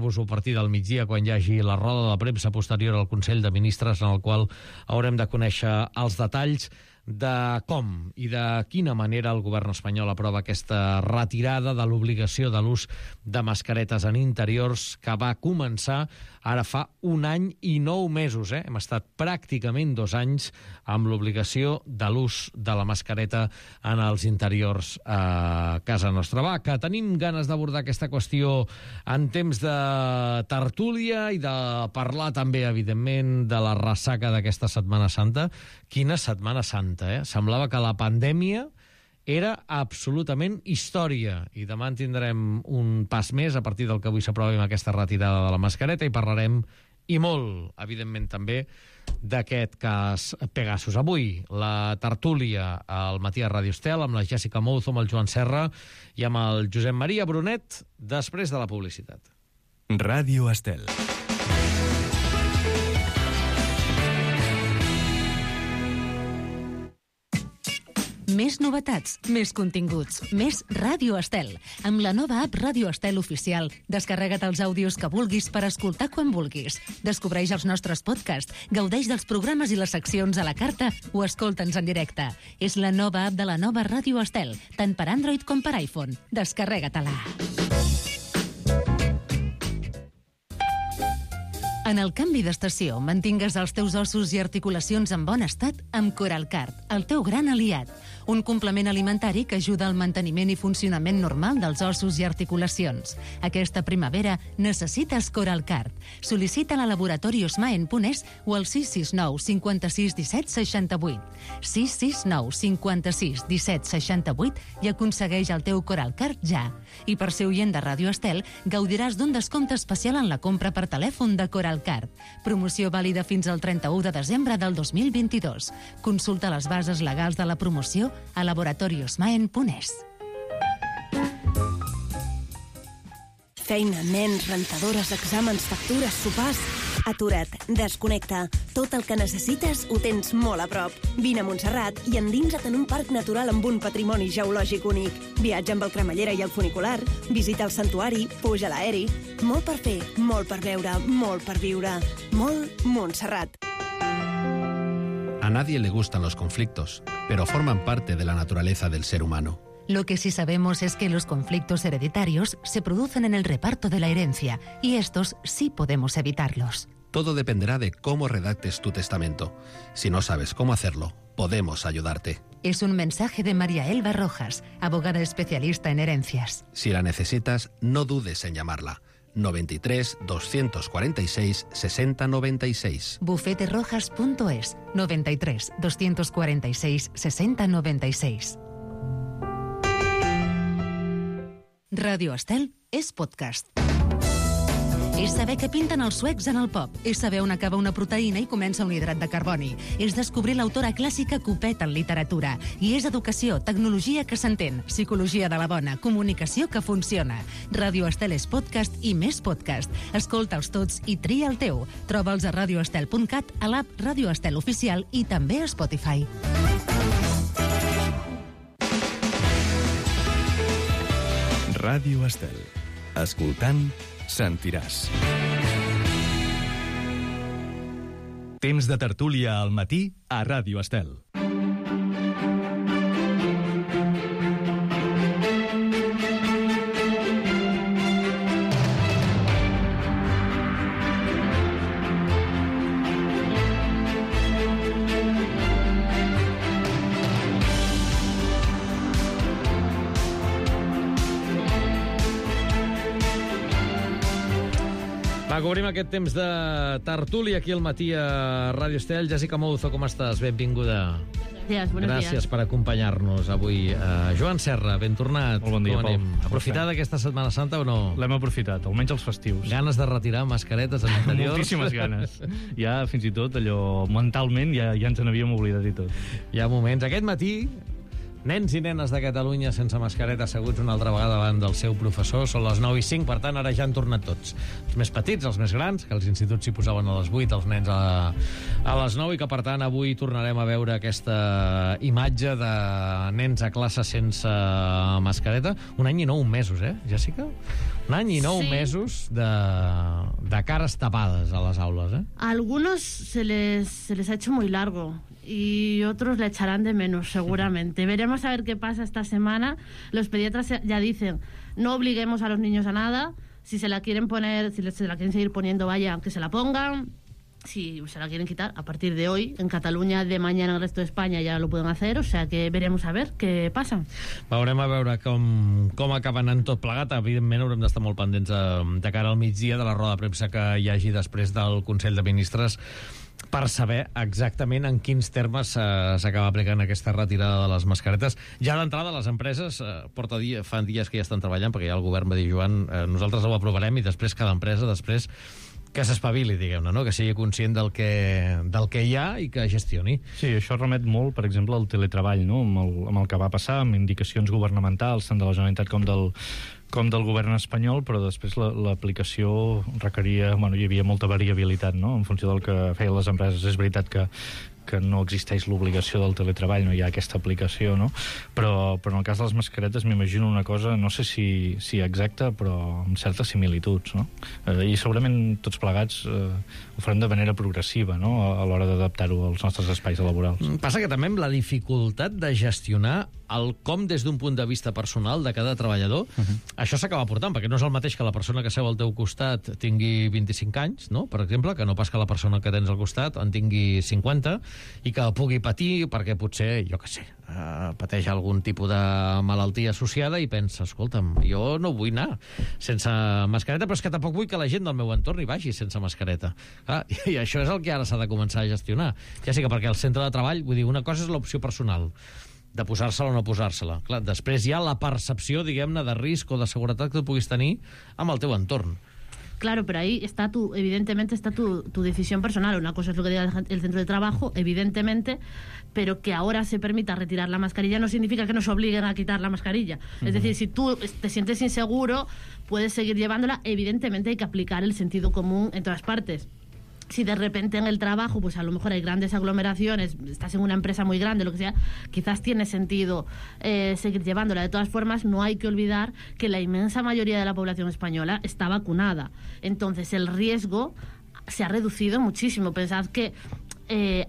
explicar-vos-ho a partir del migdia, quan hi hagi la roda de premsa posterior al Consell de Ministres, en el qual haurem de conèixer els detalls de com i de quina manera el govern espanyol aprova aquesta retirada de l'obligació de l'ús de mascaretes en interiors que va començar ara fa 1 any i 9 mesos. Hem estat pràcticament 2 anys amb l'obligació de l'ús de la mascareta en els interiors a casa nostra. Va, que tenim ganes d'abordar aquesta qüestió en temps de tertúlia i de parlar també, evidentment, de la ressaca d'aquesta Setmana Santa. Quina Setmana Santa, eh? Semblava que la pandèmia era absolutament història. I demà en tindrem un pas més a partir del que avui s'aprovi amb aquesta retirada de la mascareta i parlarem, i molt, evidentment també, d'aquest cas Pegasus. Avui, la tertúlia al matí a Ràdio Estel amb la Jessica Mouzo, amb el Joan Serra i amb el Josep Maria Brunet, després de la publicitat. Ràdio Estel. Més novetats, més continguts, més Ràdio Estel. Amb la nova app Ràdio Estel Oficial, descarrega't els àudios que vulguis per escoltar quan vulguis. Descobreix els nostres podcasts, gaudeix dels programes i les seccions a la carta o escolta'ns en directe. És la nova app de la nova Ràdio Estel, tant per Android com per iPhone. Descarrega-te-la. En el canvi d'estació, mantingues els teus ossos i articulacions en bon estat amb Coralcard, el teu gran aliat. Un complement alimentari que ajuda al manteniment i funcionament normal dels ossos i articulacions. Aquesta primavera necessites Coralcard. Sol·licita-la a Laboratori Osmaen.es o al 669 56 17 68. 669 56 17 68 i aconsegueix el teu Coralcard ja. I per ser oient de Ràdio Estel, gaudiràs d'un descompte especial en la compra per telèfon de Coralcard. Promoció vàlida fins al 31 de desembre del 2022. Consulta les bases legals de la promoció a laboratoriosmaen.es. Feina, nens, rentadores, exàmens, factures, sopars... Atura't, desconnecta. Tot el que necessites ho tens molt a prop. Vine a Montserrat i endinsa't en un parc natural amb un patrimoni geològic únic. Viatja amb el cremallera i el funicular, visita el santuari, puja a l'aeri. Molt per fer, molt per veure, molt per viure. Molt Montserrat. A nadie le gustan los conflictos, pero forman parte de la naturaleza del ser humano. Lo que sí sabemos es que los conflictos hereditarios se producen en el reparto de la herencia y estos sí podemos evitarlos. Todo dependerá de cómo redactes tu testamento. Si no sabes cómo hacerlo, podemos ayudarte. Es un mensaje de María Elba Rojas, abogada especialista en herencias. Si la necesitas, no dudes en llamarla. 93 246 60 96. Bufeterojas.es 93 246 60 96. Ràdio Estel és podcast. És saber què pinten els suecs en el pop. És saber on acaba una proteïna i comença un hidrat de carboni. És descobrir l'autora clàssica Copet en literatura. I és educació, tecnologia que s'entén, psicologia de la bona, comunicació que funciona. Ràdio Estel és podcast i més podcast. Escolta'ls tots i tria el teu. Troba'ls a radioestel.cat, a l'app Ràdio Estel Oficial i també a Spotify. Ràdio Estel. Escoltant, sentiràs. Temps de tertúlia al matí a Ràdio Estel. Obrim aquest temps de tertúlia aquí al matí a Ràdio Estel. Jessica Mouzo, com estàs? Benvinguda. Gràcies per acompanyar-nos avui. Joan Serra, ben tornat. Molt bon dia, Pol. Aprofitada aquesta Setmana Santa o no? L'hem aprofitat, almenys els festius. Ganes de retirar mascaretes a l'interior? Moltíssimes ganes. Ja, fins i tot, allò, mentalment, ja ens n'havíem oblidat i tot. Hi ha moments. Aquest matí, nens i nenes de Catalunya sense mascareta asseguts una altra vegada davant del seu professor. Són les 9:05, per tant, ara ja han tornat tots. Els més petits, els més grans, que els instituts s'hi posaven a les 8, els nens a les 9, i que, per tant, avui tornarem a veure aquesta imatge de nens a classe sense mascareta. 1 any i 9 mesos, Jessica? Un any i 9 mesos de cares tapades a les aules, ¿eh? A algunos se les ha hecho muy largo y otros le echarán de menos, seguramente. Veremos a ver qué pasa esta semana. Los pediatras ya dicen, no obliguemos a los niños a nada. Si se la quieren poner, si se la quieren seguir poniendo, vaya, que se la pongan. Si se la quieren quitar, a partir de hoy, en Catalunya, de mañana en el resto de Espanya ja lo pueden hacer, o sea que veremos a ver què passa. Veurem a veure com acaba anant tot plegat. Evidentment haurem d'estar molt pendents de cara al migdia de la roda de premsa que hi hagi després del Consell de Ministres per saber exactament en quins termes s'acaba aplicant aquesta retirada de les mascaretes. Ja d'entrada, les empreses fan dies que ja estan treballant, perquè ja el govern va dir, Joan, nosaltres ho aprovarem i després cada empresa que s'espavili, diguem-ne, no? Que sigui conscient del que hi ha i que gestioni. Sí, això remet molt, per exemple, al teletreball, no? Amb el que va passar, amb indicacions governamentals, tant de la Generalitat com del govern espanyol, però després l'aplicació requeria... Bueno, hi havia molta variabilitat, no?, en funció del que feien les empreses. És veritat que no existeix l'obligació del teletreball, no hi ha aquesta aplicació, no? Però en el cas de les mascaretes m'imagino una cosa, no sé si exacta, però amb certes similituds, no? I segurament tots plegats ho farem de manera progressiva, no?, a l'hora d'adaptar-ho als nostres espais laborals. Passa que també amb la dificultat de gestionar el com des d'un punt de vista personal de cada treballador, això s'acaba portant, perquè no és el mateix que la persona que seu al teu costat tingui 25 anys, no?, per exemple, que no pas que la persona que tens al costat en tingui 50, i que pugui patir perquè potser, jo què sé, pateix algun tipus de malaltia associada i pensa, escolta'm, jo no vull anar sense mascareta, però és que tampoc vull que la gent del meu entorn hi vagi sense mascareta. I això és el que ara s'ha de començar a gestionar. Ja sé que perquè al centre de treball, vull dir, una cosa és l'opció personal, de posar-se-la o no posar-se-la. Clar, després hi ha la percepció, diguem-ne, de risc o de seguretat que tu puguis tenir amb el teu entorn. Claro, pero ahí está evidentemente está tu decisión personal. Una cosa es lo que diga el centro de trabajo, evidentemente, pero que ahora se permita retirar la mascarilla no significa que nos obliguen a quitar la mascarilla. Es decir, si tú te sientes inseguro, puedes seguir llevándola. Evidentemente hay que aplicar el sentido común en todas partes. Si de repente en el trabajo, pues a lo mejor hay grandes aglomeraciones, estás en una empresa muy grande, lo que sea, quizás tiene sentido seguir llevándola. De todas formas, no hay que olvidar que la inmensa mayoría de la población española está vacunada. Entonces, el riesgo se ha reducido muchísimo. Pensad que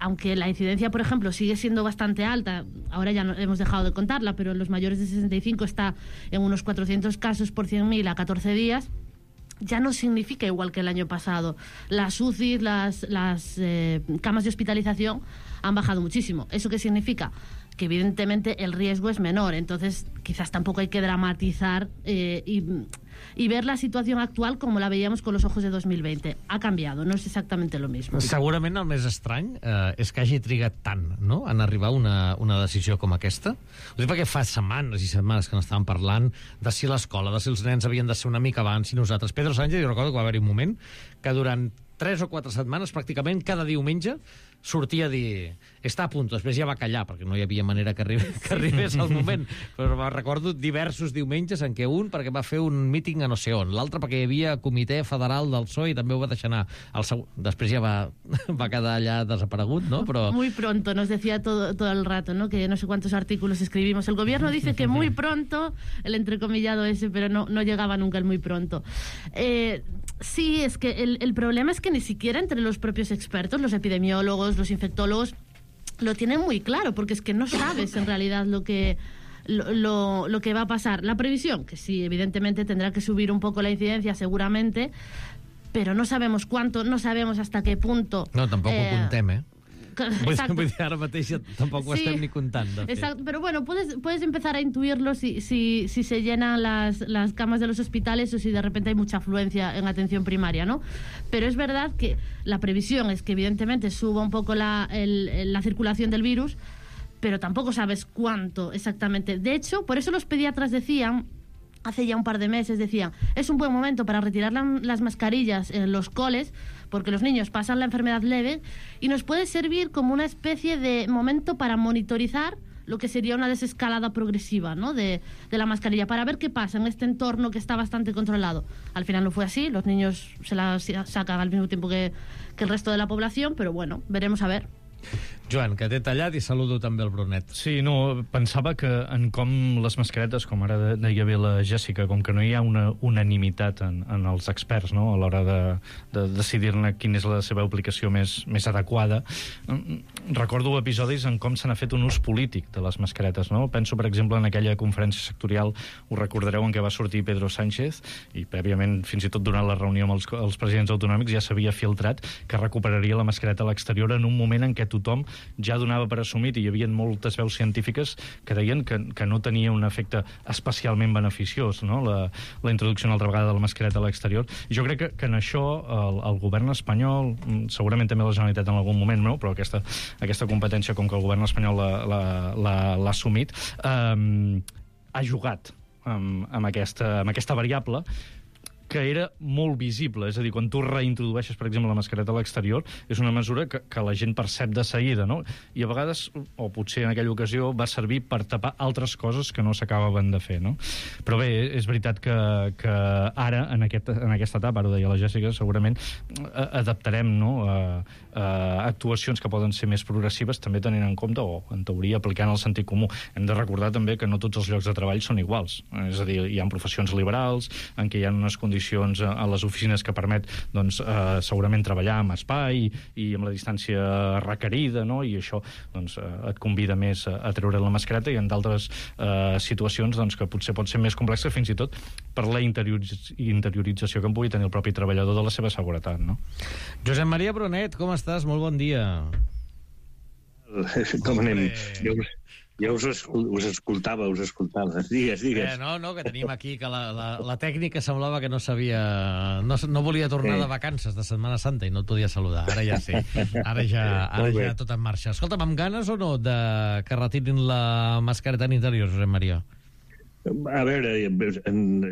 aunque la incidencia, por ejemplo, sigue siendo bastante alta, ahora ya hemos dejado de contarla, pero en los mayores de 65 está en unos 400 casos por 100.000 a 14 días, ya no significa igual que el año pasado. Las UCI, las camas de hospitalización han bajado muchísimo. ¿Eso qué significa? Que evidentemente el riesgo es menor. Entonces quizás tampoco hay que dramatizar y ver la situación actual como la veíamos con los ojos de 2020. Ha canviat, no és exactament lo mismo. Segurament el més estrany és que hagi trigat tant, no?, en arribar a una decisió com aquesta. Ho dic perquè fa setmanes i setmanes que n'estàvem parlant de si l'escola, de si els nens havien de ser una mica abans i nosaltres. Pedro Sánchez, jo recordo que va haver-hi un moment que durant 3 o 4 setmanes, pràcticament cada diumenge, sortia a dir, està a punt, després ja va callar, perquè no hi havia manera que arribés al moment. Però recordo diversos diumenges en què un perquè va fer un míting a no sé on, l'altre perquè hi havia comitè federal del PSOE i també ho va deixar anar. Després ja va quedar allà desaparegut, ¿no? Pero... Muy pronto, nos decía todo el rato, ¿no?, que no sé cuántos artículos escribimos. El gobierno dice que muy pronto, el entrecomillado ese, pero no llegaba nunca el muy pronto. Sí, es que el problema es que ni siquiera entre los propios expertos, los epidemiólogos, los infectólogos, lo tienen muy claro, porque es que no sabes en realidad lo que va a pasar. La previsión, que sí, evidentemente tendrá que subir un poco la incidencia seguramente, pero no sabemos cuánto, no sabemos hasta qué punto. No, tampoc ho contem, eh? Exacto. Vull dir, ara mateix tampoc ho estem ni comptant. Exacto, pero bueno, puedes empezar a intuirlo si se llenan las camas de los hospitales o si de repente hay mucha afluencia en atención primaria, ¿no? Pero es verdad que la previsión es que evidentemente suba un poco la circulación del virus, pero tampoco sabes cuánto exactamente. De hecho, por eso los pediatras decían, hace ya un par de meses, decían, es un buen momento para retirar las mascarillas en los coles, porque los niños pasan la enfermedad leve y nos puede servir como una especie de momento para monitorizar lo que sería una desescalada progresiva, ¿no?, de la mascarilla, para ver qué pasa en este entorno que está bastante controlado. Al final no fue así, los niños se la sacan al mismo tiempo que el resto de la población, pero bueno, veremos a ver. Joan, que t'he tallat i saludo també el Brunet. Sí, no, pensava que en com les mascaretes, com ara deia bé la Jèssica, com que no hi ha una unanimitat en els experts, no?, a l'hora de decidir-ne quina és la seva aplicació més adequada, recordo episodis en com se n'ha fet un ús polític de les mascaretes, no? Penso, per exemple, en aquella conferència sectorial, us recordareu, en què va sortir Pedro Sánchez, i prèviament, fins i tot durant la reunió amb els presidents autonòmics, ja s'havia filtrat que recuperaria la mascareta a l'exterior en un moment en què tothom ja donava per assumit, i hi havia moltes veus científiques que deien que no tenia un efecte especialment beneficiós, no?, la introducció una altra vegada de la mascareta a l'exterior. I jo crec que en això el govern espanyol, segurament també la Generalitat en algun moment, no?, però aquesta competència, com que el govern espanyol l'ha assumit, ha jugat amb aquesta variable que era molt visible. És a dir, quan tu reintrodueixes, per exemple, la mascareta a l'exterior, és una mesura que la gent percep de seguida, no? I a vegades, o potser en aquella ocasió, va servir per tapar altres coses que no s'acabaven de fer, no? Però bé, és veritat que ara, en aquesta etapa, ara ho deia la Jèssica, segurament adaptarem, no?, actuacions que poden ser més progressives, també tenint en compte, o en teoria aplicant el sentit comú. Hem de recordar també que no tots els llocs de treball són iguals. És a dir, hi ha professions liberals en què hi ha unes condicions a les oficines que permet, doncs, segurament treballar amb espai i amb la distància requerida, no?, i això, doncs, et convida més a treure la mascareta, i en d'altres situacions, doncs, que potser pot ser més complexa, fins i tot per la interiorització que en pugui tenir el propi treballador de la seva seguretat, no? Josep Maria Brunet, com estàs? Molt bon dia. Com anem? Jo us escoltava. Digues. No, que tenim aquí que la tècnica semblava que no sabia... No volia tornar de vacances de Setmana Santa i no et podia saludar. Ara ja sí. Ara ja tot en marxa. Escolta'm, amb ganes o no que retirin la mascareta en interior, Josep Maria? A veure,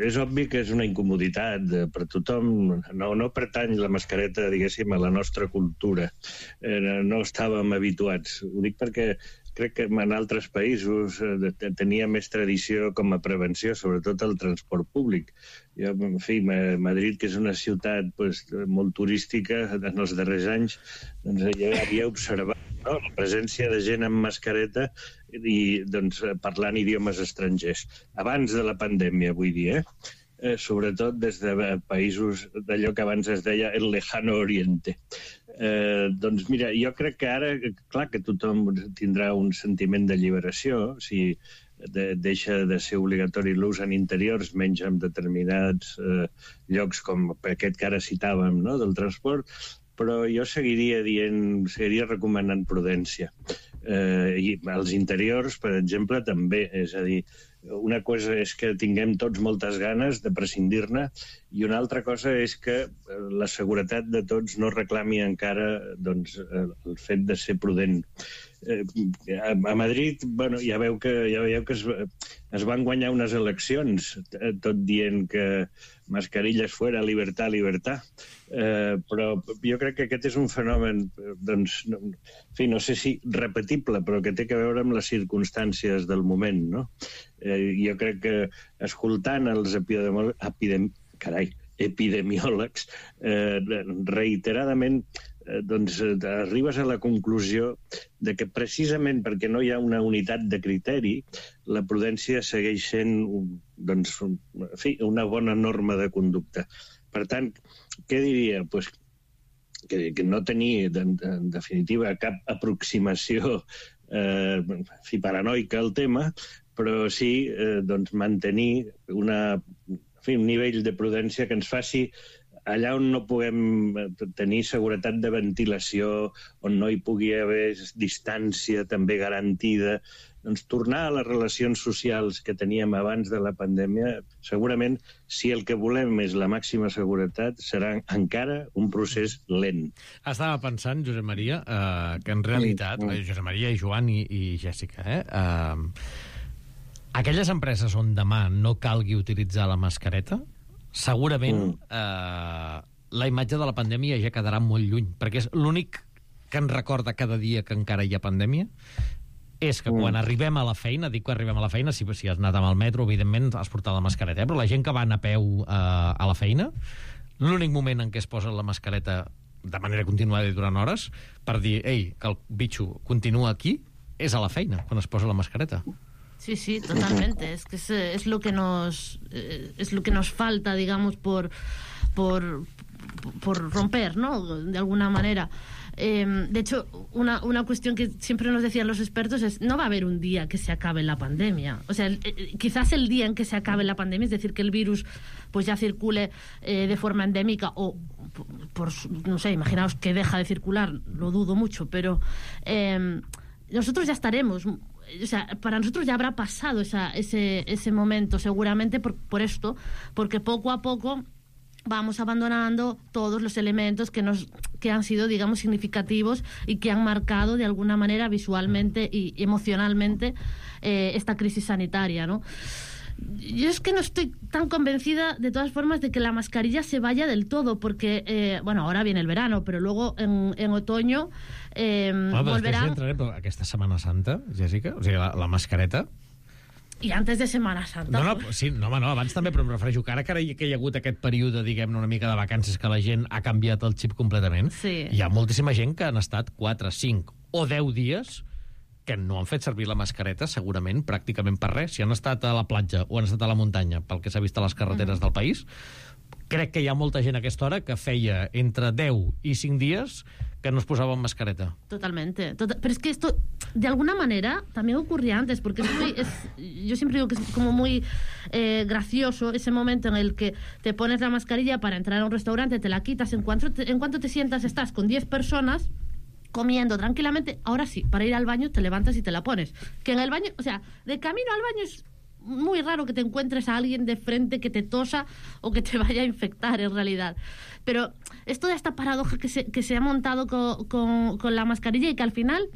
és obvi que és una incomoditat per tothom. No pertany la mascareta, diguéssim, a la nostra cultura. No estàvem habituats. Ho dic perquè crec que en altres països tenia més tradició com a prevenció, sobretot el transport públic. Jo, en fi, Madrid, que és una ciutat molt turística, en els darrers anys ja havia observat la presència de gent amb mascareta i parlant idiomes estrangers. Abans de la pandèmia, vull dir, sobretot des de països d'allò que abans es deia el lejano oriente. Doncs mira, jo crec que ara, clar que tothom tindrà un sentiment d'alliberació si deixa de ser obligatori l'ús en interiors, menys en determinats llocs com aquest que ara citàvem, no?, del transport, però jo seguiria recomanant prudència. I els interiors, per exemple, també. És a dir, una cosa és que tinguem tots moltes ganes de prescindir-ne i una altra cosa és que la seguretat de tots no reclami encara el fet de ser prudent. A Madrid, ja veieu que es van guanyar unes eleccions tot dient que mascarilles fuera, libertad, libertad. Però jo crec que aquest és un fenomen, no sé si repetible, però que té a veure amb les circumstàncies del moment, no? Jo crec que escoltant els epidemiòlegs reiteradament arribes a la conclusió de que precisament perquè no hi ha una unitat de criteri, la prudència segueix sent una bona norma de conducta. Per tant, què diria? Que no tenir, en definitiva, cap aproximació paranoica al tema, però sí mantenir un nivell de prudència que ens faci allà on no puguem tenir seguretat de ventilació, on no hi pugui haver distància també garantida, tornar a les relacions socials que teníem abans de la pandèmia, segurament, si el que volem és la màxima seguretat, serà encara un procés lent. Estava pensant, Josep Maria, que en realitat, Josep Maria i Joan i Jèssica, aquelles empreses on demà no calgui utilitzar la mascareta, segurament la imatge de la pandèmia ja quedarà molt lluny, perquè és l'únic que ens recorda cada dia que encara hi ha pandèmia, és que quan arribem a la feina, dic que arribem a la feina, si has anat amb el metro, evidentment has portat la mascareta, però la gent que va anar a peu a la feina, l'únic moment en què es posa la mascareta de manera continuada i durant hores, per dir, ei, que el bitxo continua aquí, és a la feina, quan es posa la mascareta. Sí, totalmente. Es que es lo que nos falta, digamos, por romper, ¿no? De alguna manera. De hecho, una cuestión que siempre nos decían los expertos es: no va a haber un día que se acabe la pandemia. O sea, quizás el día en que se acabe la pandemia, es decir, que el virus pues ya circule de forma endémica, o no sé, imaginaos que deja de circular, lo dudo mucho, pero nosotros ya estaremos, o sea, para nosotros ya habrá pasado ese momento seguramente por esto, porque poco a poco vamos abandonando todos los elementos que han sido, digamos, significativos y que han marcado de alguna manera visualmente y emocionalmente esta crisis sanitaria, ¿no? Yo es que no estoy tan convencida, de todas formas, de que la mascarilla se vaya del todo, porque, bueno, ahora viene el verano, pero luego en otoño volverà... Després entrarem, però aquesta Setmana Santa, Jessica, o sigui, la mascareta... I antes de Setmana Santa. No, abans també, però em refereixo que ara que hi ha hagut aquest període, diguem-ne, una mica de vacances, que la gent ha canviat el xip completament, sí. Hi ha moltíssima gent que han estat 4, 5 o 10 dies que no han fet servir la mascareta, segurament, pràcticament per res. Si han estat a la platja o han estat a la muntanya, pel que s'ha vist a les carreteres del país, crec que hi ha molta gent a aquesta hora que feia entre 10 i 5 dies que no es posaba mascareta. Totalmente. Pero es que esto, de alguna manera, también ocurría antes, porque yo siempre digo que es como muy gracioso ese momento en el que te pones la mascarilla para entrar a un restaurante, te la quitas, en cuanto te sientas, estás con 10 personas comiendo tranquilamente. Ahora sí, para ir al baño te levantas y te la pones. Que en el baño, o sea, de camino al baño es muy raro que te encuentres a alguien de frente que te tosa o que te vaya a infectar, en realidad. Pero es toda esta paradoja que se ha montado con la mascarilla, y que al final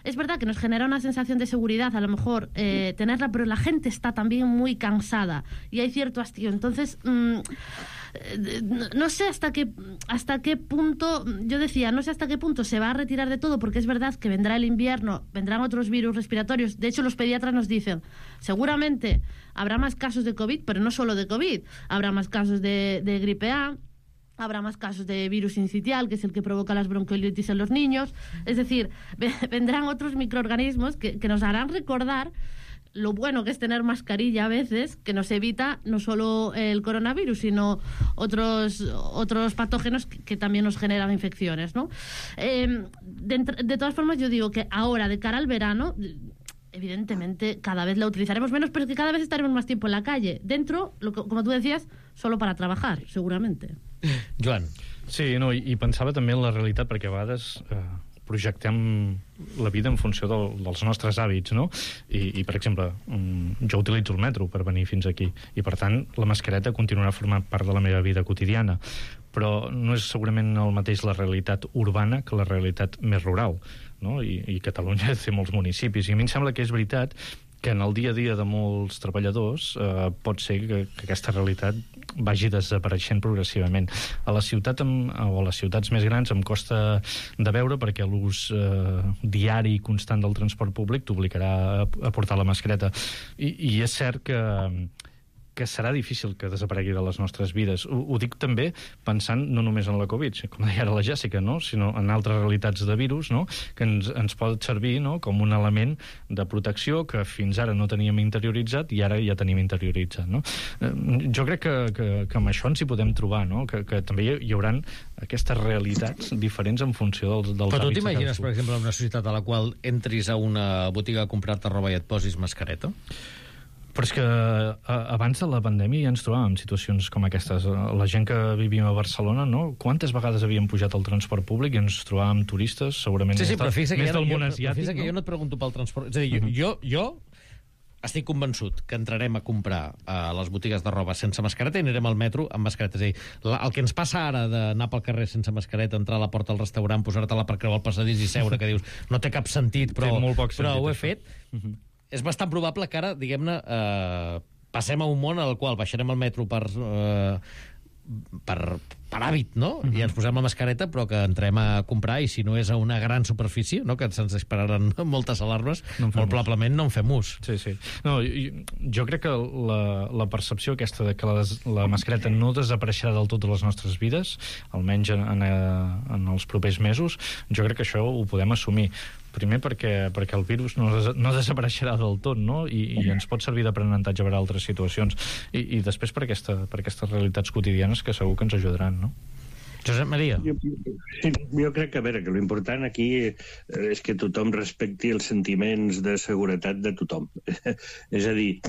es verdad que nos genera una sensación de seguridad, a lo mejor, tenerla, pero la gente está también muy cansada y hay cierto hastío. Entonces, no sé hasta qué punto, yo decía, no sé hasta qué punto se va a retirar de todo, porque es verdad que vendrá el invierno, vendrán otros virus respiratorios. De hecho, los pediatras nos dicen, seguramente habrá más casos de COVID, pero no solo de COVID, habrá más casos de gripe A, habrá más casos de virus sincitial, que es el que provoca las bronquiolitis en los niños. Es decir, vendrán otros microorganismos que nos harán recordar lo bueno que es tener mascarilla a veces, que nos evita no solo el coronavirus, sino otros patógenos que también nos generan infecciones, ¿no? De todas formas, yo digo que ahora, de cara al verano, evidentemente cada vez la utilizaremos menos, pero que cada vez estaremos más tiempo en la calle. Dentro, como tú decías, solo para trabajar, seguramente. Joan. Sí, no, i pensava també en la realitat, perquè a vegades projectem la vida en funció dels nostres hàbits, no? I per exemple, jo utilitzo el metro per venir fins aquí, i per tant la mascareta continuarà formant part de la meva vida quotidiana, però no és segurament el mateix la realitat urbana que la realitat més rural, no? I Catalunya té molts municipis, i a mi em sembla que és veritat que en el dia a dia de molts treballadors pot ser que aquesta realitat vagi desapareixent progressivament. A la ciutat o a les ciutats més grans em costa de veure, perquè l'ús diari i constant del transport públic t'obligarà a portar la mascareta. I és cert que serà difícil que desaparegui de les nostres vides. Ho dic també pensant no només en la Covid, com deia ara la Jèssica, no? Sinó en altres realitats de virus, no? Que ens pot servir, no? Com un element de protecció que fins ara no teníem interioritzat i ara ja tenim interioritzat, no? Jo crec que amb això ens hi podem trobar, no? Que també hi haurà aquestes realitats diferents en funció dels hàbits. Però tu t'imagines, per exemple, una societat a la qual entris a una botiga a comprar-te roba i et posis mascareta? Però és que abans de la pandèmia ja ens trobàvem en situacions com aquestes. La gent que vivíem a Barcelona, no? Quantes vegades havíem pujat al transport públic i ens trobàvem turistes, segurament sí, però més del món asiàtic. Fixa't que jo no et pregunto pel transport. És a dir, jo estic convençut que entrarem a comprar a les botigues de roba sense mascareta i anirem al metro amb mascareta. És a dir, el que ens passa ara d'anar pel carrer sense mascareta, entrar a la porta del restaurant, posar-te-la per creuar el passadís i seure, que dius, no té cap sentit, però ho he fet. És bastant probable que ara, diguem-ne, passem a un món al qual baixarem al metro per per hàbit, no? I ens posem la mascareta, però que entrem a comprar, i si no és a una gran superfície, no? Que se'ns dispararan moltes alarmes, molt probablement no en fem ús. Sí. No, jo crec que la percepció aquesta de que la mascareta no desapareixerà del tot de les nostres vides, almenys en els propers mesos, jo crec que això ho podem assumir. Primer perquè el virus no desapareixerà del tot, no? I ens pot servir d'aprenentatge per a altres situacions. I després per aquestes realitats quotidianes que segur que ens ajudaran, no? Josep Maria. Jo crec que, a veure, que l'important aquí és que tothom respecti els sentiments de seguretat de tothom. És a dir,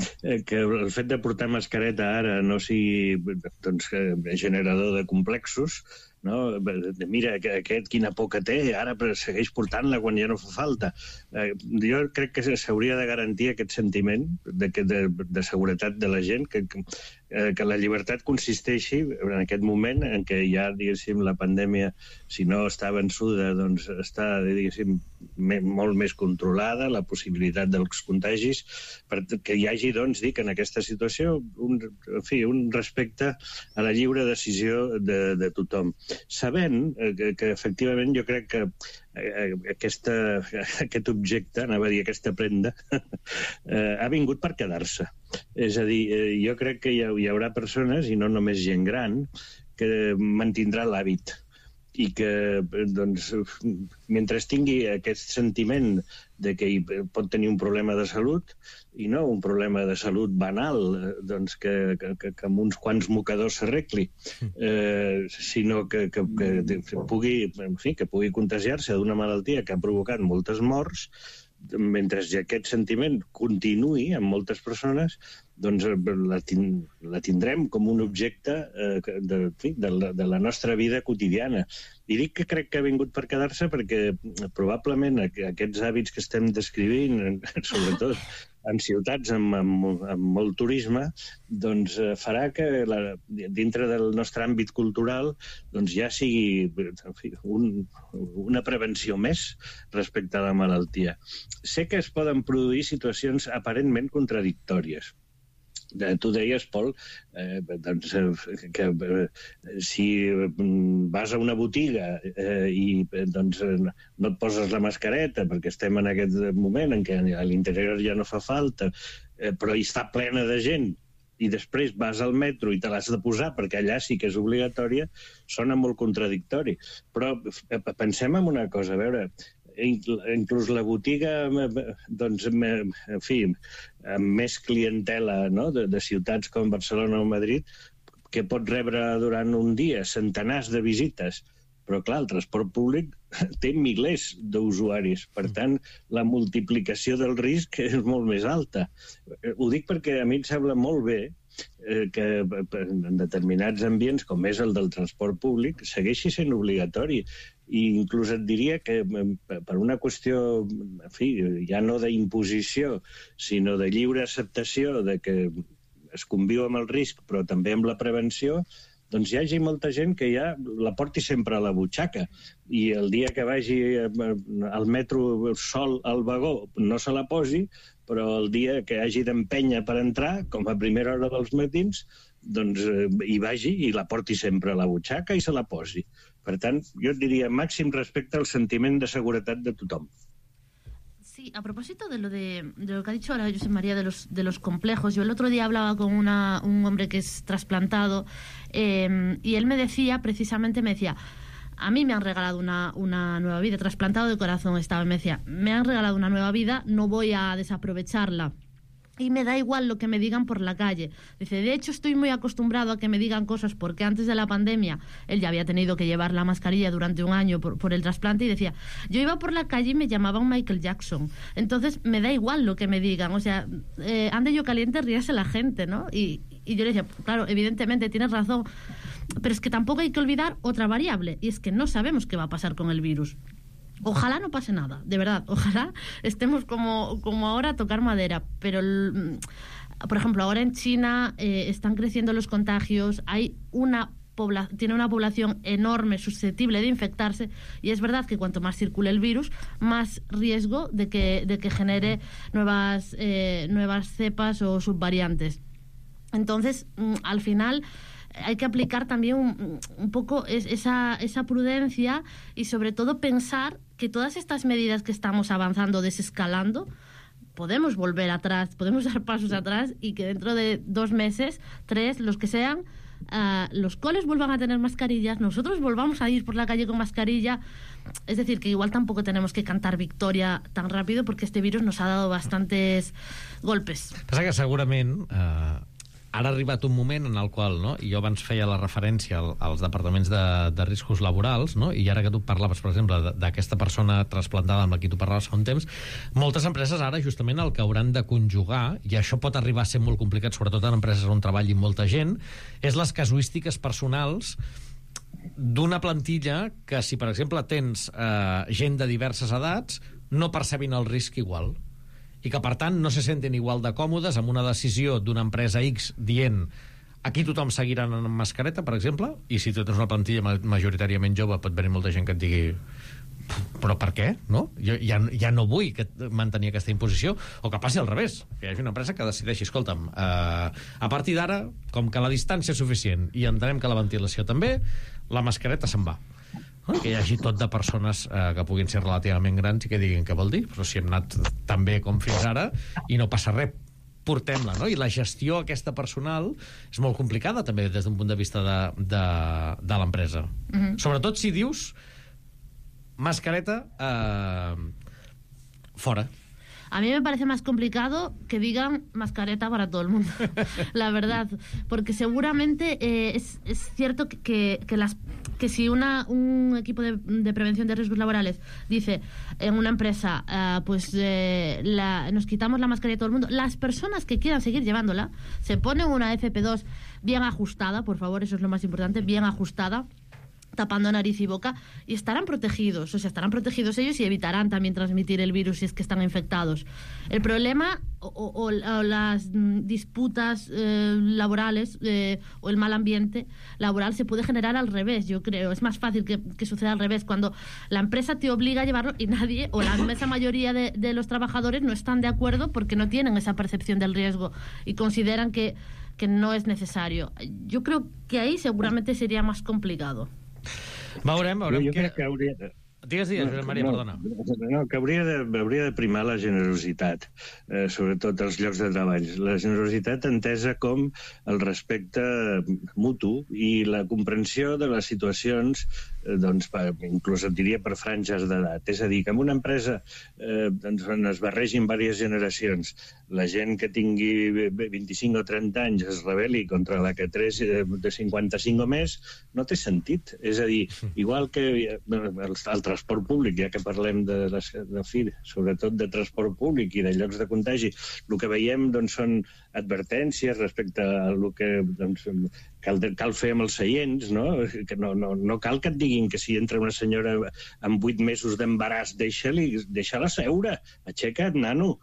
que el fet de portar mascareta ara no sigui generador de complexos, no? Mira, aquest quina por que té, ara segueix portant-la quan ja no fa falta. Jo crec que s'hauria de garantir aquest sentiment de seguretat de la gent, que la llibertat consisteixi en aquest moment en què ja, diguéssim, la pandèmia, si no està vençuda, doncs està, diguéssim, molt més controlada, la possibilitat dels contagis, perquè hi hagi, doncs, dic, en aquesta situació, un respecte a la lliure decisió de tothom. Sabent que efectivament jo crec que aquest objecte, anava a dir aquesta prenda, ha vingut per quedar-se. És a dir, jo crec que hi haurà persones, i no només gent gran, que mantindrà l'hàbit i que, doncs, mentre tingui aquest sentiment de que pot tenir un problema de salut, i no un problema de salut banal, doncs que amb uns quants mocadors s'arregli, sinó que pugui contagiar-se d'una malaltia que ha provocat moltes morts, mentre aquest sentiment continuï en moltes persones, doncs la tindrem com un objecte de la nostra vida quotidiana. I dic que crec que ha vingut per quedar-se perquè probablement aquests hàbits que estem descrivint, sobretot en ciutats amb molt turisme, doncs farà que dintre del nostre àmbit cultural doncs ja sigui una prevenció més respecte a la malaltia. Sé que es poden produir situacions aparentment contradictòries. Tu deies, Pol, que si vas a una botiga i no et poses la mascareta perquè estem en aquest moment en què a l'interior ja no fa falta, però hi està plena de gent, i després vas al metro i te l'has de posar perquè allà sí que és obligatòria, sona molt contradictori. Però pensem en una cosa, a veure, inclús la botiga, doncs, en fi, amb més clientela, no?, de ciutats com Barcelona o Madrid, que pot rebre durant un dia centenars de visites, però clar, el transport públic té milers d'usuaris, per tant, la multiplicació del risc és molt més alta. Ho dic perquè a mi em sembla molt bé que en determinats ambients, com és el del transport públic, segueixi sent obligatori. I inclús et diria que per una qüestió, en fi, ja no d'imposició, sinó de lliure acceptació de que es conviu amb el risc, però també amb la prevenció, doncs hi hagi molta gent que ja la porti sempre a la butxaca i el dia que vagi al metro sol al vagó no se la posi, però el dia que hagi d'empènyer per entrar, com a primera hora dels matins, doncs hi vagi i la porti sempre a la butxaca i se la posi. Per tant, jo et diria màxim respecte al sentiment de seguretat de tothom. Sí, a propósito de lo que ha dicho ahora Josep María de los complejos, yo el otro día hablaba con un hombre que es trasplantado y él me decía, precisamente, a mí me han regalado una nueva vida, trasplantado de corazón estaba, me decía, me han regalado una nueva vida, no voy a desaprovecharla. Y me da igual lo que me digan por la calle. Dice, de hecho estoy muy acostumbrado a que me digan cosas porque antes de la pandemia él ya había tenido que llevar la mascarilla durante un año por el trasplante y decía, yo iba por la calle y me llamaban Michael Jackson. Entonces me da igual lo que me digan. O sea, ande yo caliente, ríase la gente, ¿no? Y yo le decía, claro, evidentemente tienes razón, pero es que tampoco hay que olvidar otra variable y es que no sabemos qué va a pasar con el virus. Ojalá no pase nada, de verdad, ojalá estemos como ahora a tocar madera, pero por ejemplo ahora en China están creciendo los contagios, tiene una población enorme susceptible de infectarse y es verdad que cuanto más circule el virus, más riesgo de que genere nuevas cepas o subvariantes. Entonces, al final, hay que aplicar también un poco esa prudencia y sobre todo pensar que todas estas medidas que estamos avanzando, desescalando, podemos volver atrás, podemos dar pasos atrás y que dentro de 2 meses, 3, los que sean, los coles vuelvan a tener mascarillas, nosotros volvamos a ir por la calle con mascarilla. Es decir, que igual tampoco tenemos que cantar victoria tan rápido porque este virus nos ha dado bastantes golpes. Passa que segurament ara ha arribat un moment en el qual, no, i jo abans feia la referència als departaments de riscos laborals, no, i ara que tu parlaves, per exemple, d'aquesta persona trasplantada amb la qui tu parlaves fa un temps, moltes empreses ara justament el que hauran de conjugar, i això pot arribar a ser molt complicat, sobretot en empreses on treballi molta gent, és les casuístiques personals d'una plantilla que, si per exemple tens gent de diverses edats, no percebin el risc igual, i que per tant no se senten igual de còmodes amb una decisió d'una empresa X dient aquí tothom seguirà amb mascareta, per exemple, i si tu tens una plantilla majoritàriament jove pot venir molta gent que et digui però per què? No? Jo ja no vull mantenir aquesta imposició, o que passi al revés, que hi hagi una empresa que decideixi, escolta'm, a partir d'ara, com que la distància és suficient i entenem que la ventilació també, la mascareta se'n va. Que hi hagi tot de persones que puguin ser relativament grans i que diguin què vol dir, però si hem anat tan bé com fins ara i no passa res, portem-la, no? I la gestió aquesta personal és molt complicada també des d'un punt de vista de l'empresa. Sobretot si dius mascareta fora. A mí me parece más complicado que digan mascareta para todo el mundo, la verdad, porque seguramente es cierto que si un equipo de prevención de riesgos laborales dice en una empresa, nos quitamos la mascarilla a todo el mundo, las personas que quieran seguir llevándola se ponen una FP2 bien ajustada, por favor, eso es lo más importante, bien ajustada, tapando nariz y boca, y estarán protegidos, o sea, estarán protegidos ellos y evitarán también transmitir el virus si es que están infectados. El problema o las disputas laborales o el mal ambiente laboral se puede generar al revés, yo creo. Es más fácil que suceda al revés, cuando la empresa te obliga a llevarlo y nadie, o la inmensa mayoría de los trabajadores no están de acuerdo porque no tienen esa percepción del riesgo y consideran que no es necesario. Yo creo que ahí seguramente sería más complicado. Veurem jo crec que hauria... Digues, Maria, perdona. No, que hauria de primar la generositat, sobretot als llocs de treball. La generositat entesa com el respecte mutu i la comprensió de les situacions, doncs, inclús et diria per franges d'edat. És a dir, que en una empresa on es barregin diverses generacions, la gent que tingui 25 o 30 anys es rebel·li contra la que té de 55 o més, no té sentit. És a dir, igual que el transport públic, ja que parlem sobretot de transport públic i de llocs de contagi, el que veiem doncs, són advertències respecte a el que cal fer amb els seients, no? Que no cal que et diguin que si entra una senyora amb 8 mesos d'embaràs, deixa-la seure, aixeca't, nano.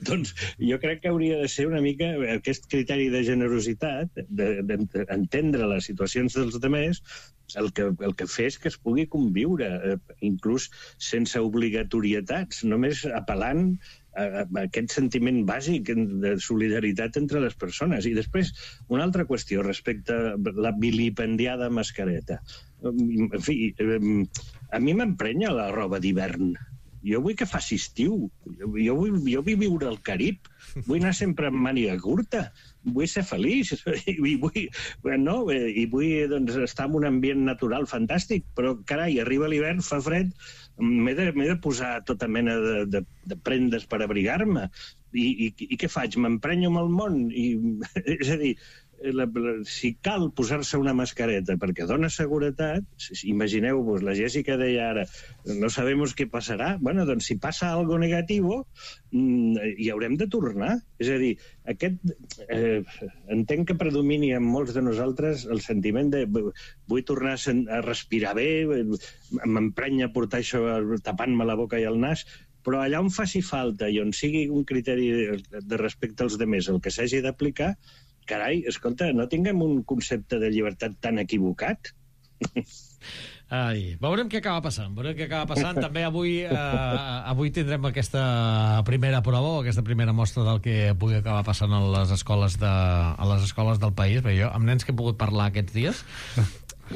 Doncs jo crec que hauria de ser una mica aquest criteri de generositat, d'entendre les situacions dels altres, el que fa és que es pugui conviure, inclús sense obligatorietats, només apel·lant a aquest sentiment bàsic de solidaritat entre les persones. I després, una altra qüestió respecte a la vilipendiada mascareta. En fi, a mi m'emprenya la roba d'hivern. Jo vull que faci estiu. Jo vull viure al Carib. Vull anar sempre amb màniga curta. Vull ser feliç. I vull estar en un ambient natural fantàstic. Però, carai, arriba l'hivern, fa fred, m'he de posar tota mena de prendes per abrigar-me. I què faig? M'emprenyo amb el món? És a dir, si cal posar-se una mascareta perquè dona seguretat, imagineu-vos, la Jessica deia ara, no sabemos qué pasará. Bueno, doncs si passa algo negativo, hi haurem de tornar. És a dir, entenc que predomini en molts de nosaltres el sentiment de vull tornar a respirar bé, m'emprenya portar això tapant-me la boca i el nas, però allà on faci falta i on sigui un criteri de respecte als demés el que s'hagi d'aplicar, carai, escolta, no tinguem un concepte de llibertat tan equivocat. Veurem què acaba passant. També avui tindrem aquesta primera prova o aquesta primera mostra del que pugui acabar passant a les escoles del país. Bé, jo, amb nens que he pogut parlar aquests dies,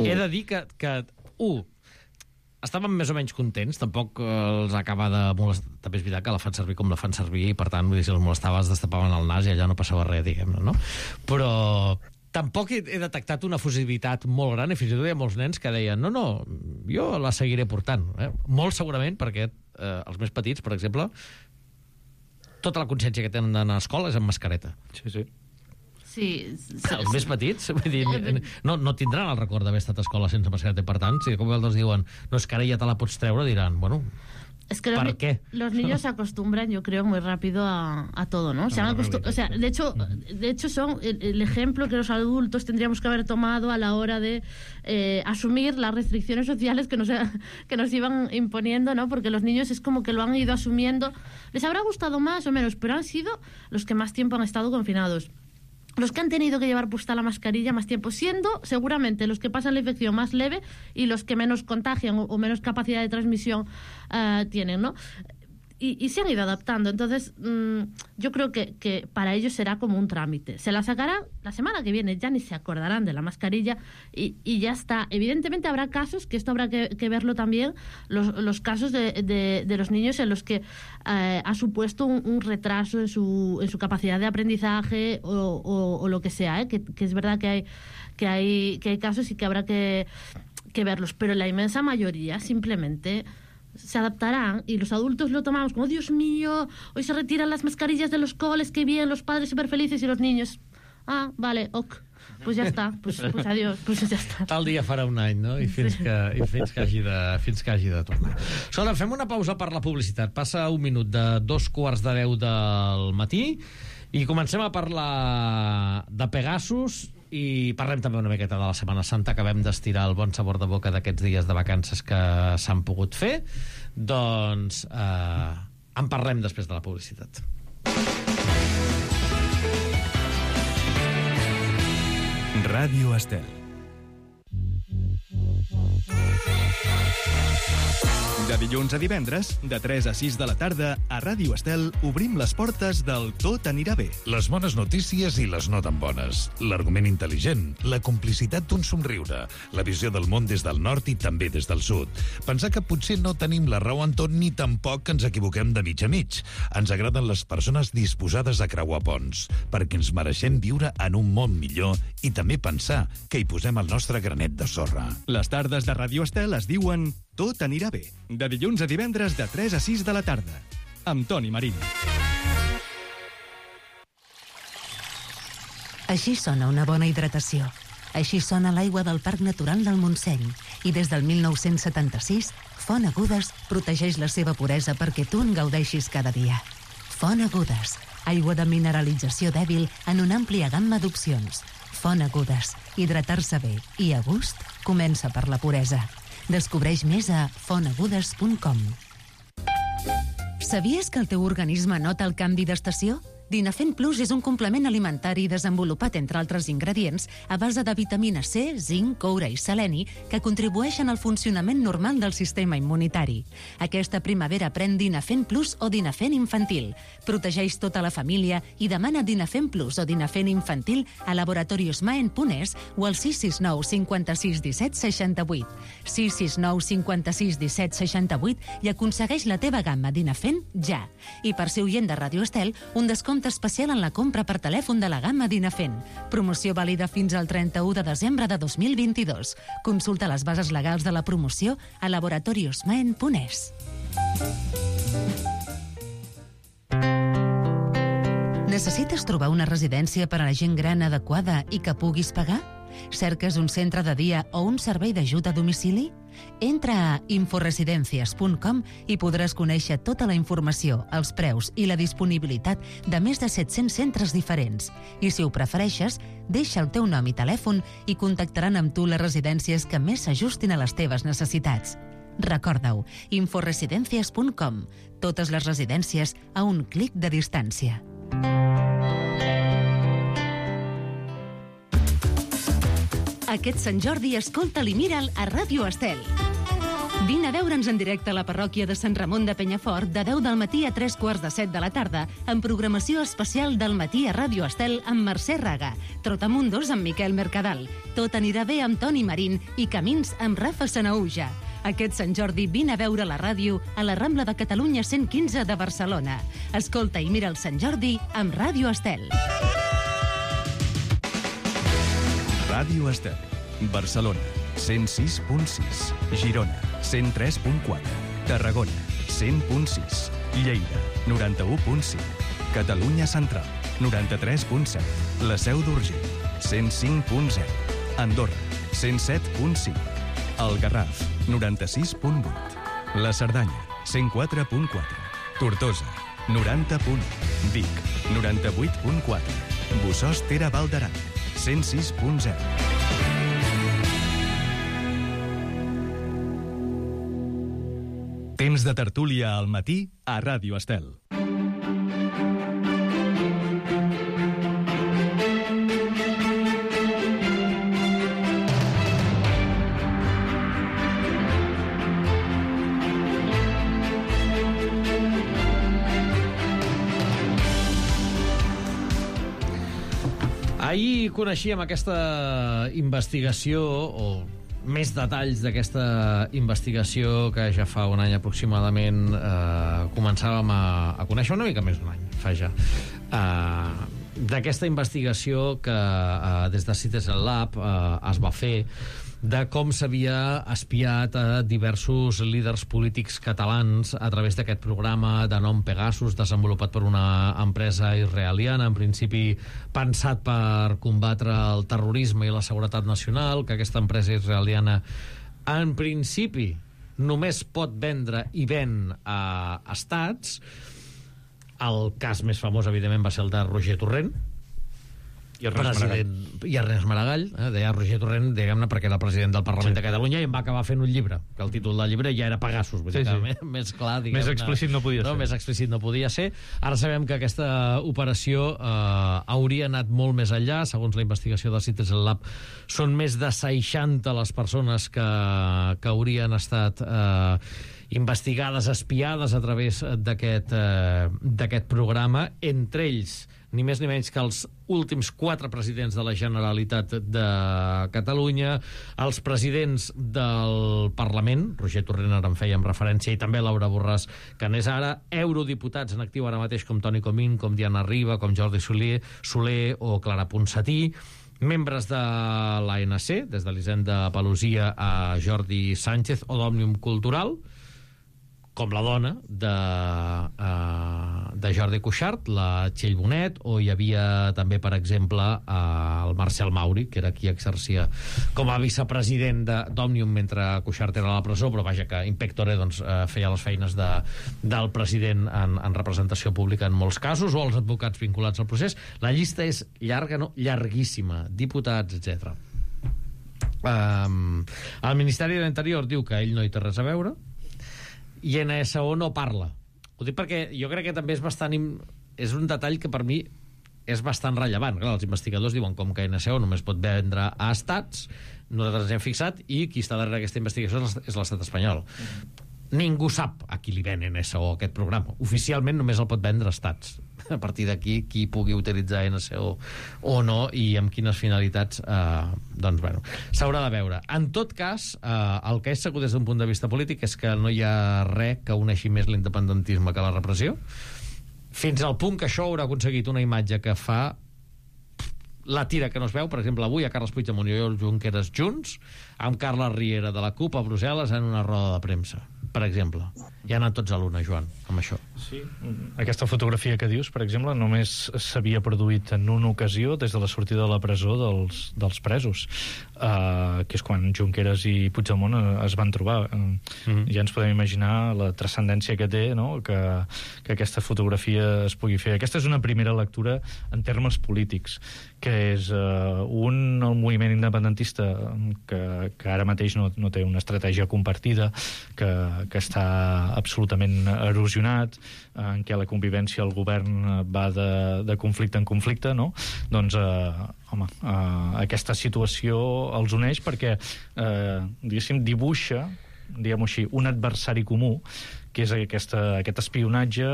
he de dir que estaven més o menys contents, tampoc els acaba de molestar. També és veritat que la fan servir com la fan servir i, per tant, vull dir, si els molestava es destapaven el nas i allà no passava res, diguem-ne, no? Però tampoc he detectat una efusivitat molt gran, i fins i tot hi ha molts nens que deien no, jo la seguiré portant. Molt segurament, perquè els més petits, per exemple, tota la consciència que tenen d'anar a escola és amb mascareta. Sí. Els més petits, vull dir, no tindran el record d'haver estat a escola sense mascareta, per tant, si com els diuen, no, és que ara ja te la pots treure, diran, bueno... Es que los niños se acostumbran, yo creo, muy rápido a todo, ¿no? De hecho son el ejemplo que los adultos tendríamos que haber tomado a la hora de asumir las restricciones sociales que nos iban imponiendo, ¿no? Porque los niños es como que lo han ido asumiendo. Les habrá gustado más o menos, pero han sido los que más tiempo han estado confinados. Los que han tenido que llevar puesta la mascarilla más tiempo, siendo seguramente los que pasan la infección más leve y los que menos contagian o menos capacidad de transmisión tienen, ¿no? Y se han ido adaptando. Entonces, yo creo que para ellos será como un trámite. Se la sacarán la semana que viene, ya ni se acordarán de la mascarilla y ya está. Evidentemente habrá casos, que esto habrá que verlo también, los casos de los niños en los que ha supuesto un retraso en su capacidad de aprendizaje o lo que sea, que es verdad que hay casos y que habrá que verlos. Pero la inmensa mayoría simplemente se adaptarán y los adultos lo tomamos como Dios mío, hoy se retiran las mascarillas de los coles, qué bien, los padres súper felices y los niños, vale, ok, pues ja està, pues adiós, pues ja està. Tal dia farà un any, no? I fins que hagi de tornar. Escolta, fem una pausa per la publicitat. Passa un minut de 2:45 del matí i comencem a parlar de Pegasus i parlem també una miqueta de la Setmana Santa. Acabem d'estirar el bon sabor de boca d'aquests dies de vacances que s'han pogut fer. Doncs en parlem després de la publicitat. Ràdio Estel. De dilluns a divendres, de 3 a 6 de la tarda, a Ràdio Estel obrim les portes del Tot anirà bé. Les bones notícies i les no tan bones. L'argument intel·ligent, la complicitat d'un somriure, la visió del món des del nord i també des del sud. Pensar que potser no tenim la raó en tot ni tampoc que ens equivoquem de mig a mig. Ens agraden les persones disposades a creuar ponts, perquè ens mereixem viure en un món millor i també pensar que hi posem el nostre granet de sorra. Les tardes de Ràdio Estel es diuen Tot anirà bé. De dilluns a divendres de 3 a 6 de la tarda. Amb Toni Marín. Així sona una bona hidratació. Així sona l'aigua del Parc Natural del Montseny. I des del 1976, Font Agudes protegeix la seva puresa perquè tu en gaudeixis cada dia. Font Agudes. Aigua de mineralització dèbil en una àmplia gamma d'opcions. Font Agudes. Hidratar-se bé i a gust comença per la puresa. Descobreix més a fontagudes.com. Sabies que el teu organisme nota el canvi d'estació? Dinafent Plus és un complement alimentari desenvolupat, entre altres ingredients, a base de vitamina C, zinc, coure i seleni, que contribueixen al funcionament normal del sistema immunitari. Aquesta primavera pren Dinafent Plus o Dinafent Infantil. Protegeix tota la família i demana Dinafent Plus o Dinafent Infantil a Laboratorios Maen.es o al 669 56 17 68. 669 56 17 68 i aconsegueix la teva gamma Dinafent ja. I per ser oient de Ràdio Estel, un descompte especial en la compra per telèfon de la gamma Dinafent. Promoció vàlida fins al 31 de desembre de 2022. Consulta les bases legals de la promoció a laboratoriosmaen.es. Necessites trobar una residència per a la gent gran adequada i que puguis pagar? Cerques un centre de dia o un servei d'ajut a domicili? Entra a inforesidencias.com i podràs conèixer tota la informació, els preus i la disponibilitat de més de 700 centres diferents. I si ho prefereixes, deixa el teu nom i telèfon i contactaran amb tu les residències que més s'ajustin a les teves necessitats. Recorda-ho, inforesidencias.com. Totes les residències a un clic de distància. Aquest Sant Jordi escolta-li i mira'l a Ràdio Estel. Vine a veure'ns en directe a la parròquia de Sant Ramon de Penyafort de 10 del matí a 3:45 de la tarda amb programació especial del matí a Ràdio Estel amb Mercè Raga, Trotamundos amb Miquel Mercadal, Tot anirà bé amb Toni Marín i Camins amb Rafa Sanaúja. Aquest Sant Jordi vine a veure la ràdio a la Rambla de Catalunya 115 de Barcelona. Escolta i mira el Sant Jordi amb Ràdio Estel. Ràdio Estel, Barcelona, 106.6, Girona, 103.4, Tarragona, 100.6, Lleida, 91.5, Catalunya Central, 93.7, La Seu d'Urgell, 105.0, Andorra, 107.5, El Garraf, 96.8, La Cerdanya, 104.4, Tortosa, 90.1, Vic, 98.4, Bossòst Tere Val d'Aran, 106.0. Temps de tertúlia al matí a Ràdio Estel. Ahir coneixíem aquesta investigació, o més detalls d'aquesta investigació que ja fa un any aproximadament començàvem a conèixer, una mica més d'un any, fa ja. D'aquesta investigació que des de Citizen Lab es va fer de com s'havia espiat a diversos líders polítics catalans a través d'aquest programa de nom Pegasus, desenvolupat per una empresa israeliana, en principi pensat per combatre el terrorisme i la seguretat nacional, que aquesta empresa israeliana en principi només pot vendre i ven a estats. El cas més famós, evidentment, va ser el de Roger Torrent, i Ernest Maragall, deia Roger Torrent, diguem-ne, perquè era el president del Parlament de Catalunya i em va acabar fent un llibre, que el títol del llibre ja era Pegasus, vull dir que més clar, diguem-ne, més explícit no podia ser. Més explícit no podia ser. Ara sabem que aquesta operació hauria anat molt més enllà. Segons la investigació de Citizen Lab, són més de 60 les persones que haurien estat investigades, espiades a través d'aquest programa, entre ells ni més ni menys que els últims 4 presidents de la Generalitat de Catalunya, els presidents del Parlament, Roger Torrent ara en fèiem referència, i també Laura Borràs, que n'és ara, eurodiputats en actiu ara mateix com Toni Comín, com Diana Riba, com Jordi Soler o Clara Ponsatí, membres de l'ANC, des de l'Hisenda Pelosia a Jordi Sánchez o d'Òmnium Cultural, com la dona de Jordi Cuixart, la Txell Bonet, o hi havia també, per exemple, el Marcel Mauri, que era qui exercia com a vicepresident d'Òmnium mentre Cuixart era a la presó, però vaja, que in pectore feia les feines del president en representació pública en molts casos, o els advocats vinculats al procés. La llista és llarga, no? Llarguíssima, diputats, etc. El Ministeri de l'Interior diu que ell no hi té res a veure, i NSO no parla. Ho dic perquè jo crec que també és un detall que per mi és bastant rellevant. Clar, els investigadors diuen com que NSO només pot vendre a estats, nosaltres ens hem fixat, i qui està darrere aquesta investigació és l'estat espanyol. Ningú sap a qui li ven NSO aquest programa. Oficialment només el pot vendre a estats. A partir d'aquí, qui pugui utilitzar NSO o no i amb quines finalitats, doncs, bueno, s'haurà de veure. En tot cas, el que és segur des d'un punt de vista polític és que no hi ha res que uneixi més l'independentisme que la repressió, fins al punt que això haurà aconseguit una imatge que fa la tira que no es veu, per exemple, avui a Carles Puigdemont i Oriol Junqueras junts, amb Carles Riera de la CUP a Brussel·les en una roda de premsa, per exemple. Ja han anat tots a l'una, Joan, amb això. Sí, aquesta fotografia que dius, per exemple, només s'havia produït en una ocasió des de la sortida de la presó dels presos, que és quan Junqueras i Puigdemont es van trobar. Ja ens podem imaginar la transcendència que té, no?, que aquesta fotografia es pugui fer. Aquesta és una primera lectura en termes polítics, que és el moviment independentista que ara mateix no té una estratègia compartida, que està absolutament erosionat, en què la convivència al govern va de conflicte en conflicte, no? Doncs, aquesta situació els uneix perquè, diguéssim, dibuixa, diguem-ho així, un adversari comú, que és aquest espionatge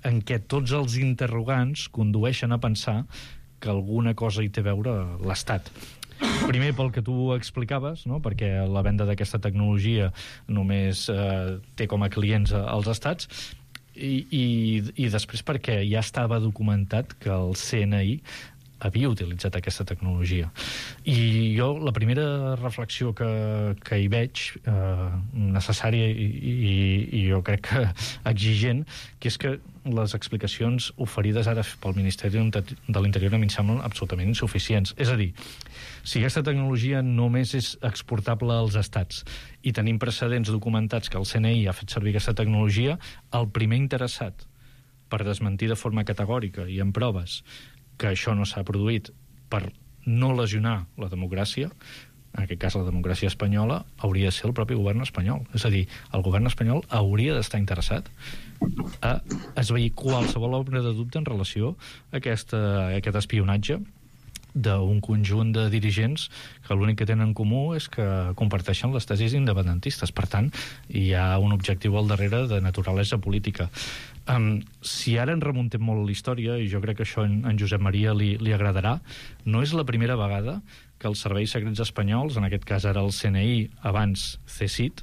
en què tots els interrogants condueixen a pensar que alguna cosa hi té a veure l'Estat. Primer, pel que tu explicaves, no? Perquè la venda d'aquesta tecnologia només té com a clients els estats, i després perquè ja estava documentat que el CNI havia utilitzat aquesta tecnologia. I jo, la primera reflexió que hi veig, necessària i jo crec que exigent, que és que les explicacions oferides ara pel Ministeri de l'Interior a mi em semblen absolutament insuficients. És a dir, si aquesta tecnologia només és exportable als estats i tenim precedents documentats que el CNI ha fet servir aquesta tecnologia, el primer interessat per desmentir de forma categòrica i amb proves que això no s'ha produït per no lesionar la democràcia, en aquest cas la democràcia espanyola, hauria de ser el propi govern espanyol. És a dir, el govern espanyol hauria d'estar interessat a esvair qualsevol ombra de dubte en relació a aquest espionatge d'un conjunt de dirigents que l'únic que tenen en comú és que comparteixen les tesis independentistes. Per tant, hi ha un objectiu al darrere de naturalesa política. Si ara ens remuntem molt a la història, i jo crec que això en Josep Maria li agradarà, no és la primera vegada que els serveis secrets espanyols, en aquest cas ara el CNI, abans CSIC,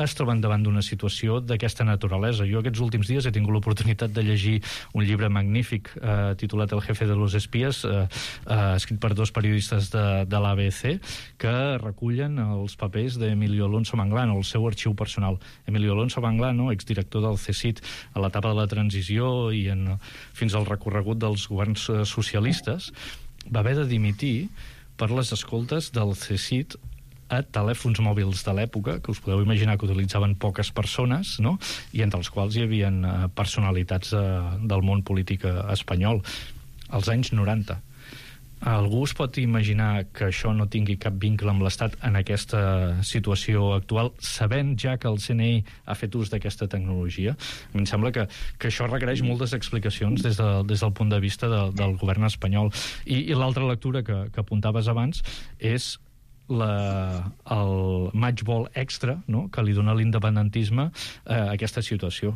es troben davant d'una situació d'aquesta naturalesa. Jo aquests últims dies he tingut l'oportunitat de llegir un llibre magnífic titulat El jefe de los espías, escrit per dos periodistes de l'ABC, que recullen els papers d'Emilio Alonso Manglano, el seu arxiu personal. Emilio Alonso Manglano, exdirector del CSIC a l'etapa de la transició i fins al recorregut dels governs socialistes, va haver de dimitir per les escoltes del CSIC a telèfons mòbils de l'època, que us podeu imaginar que utilitzaven poques persones, no? I entre els quals hi havia personalitats del món polític espanyol, als anys 90. Algú es pot imaginar que això no tingui cap vincle amb l'Estat en aquesta situació actual, sabent ja que el CNI ha fet ús d'aquesta tecnologia? A mi em sembla que això requereix moltes explicacions des del punt de vista del govern espanyol. I l'altra lectura que apuntaves abans és el matchball extra, no?, que li dona l'independentisme a aquesta situació,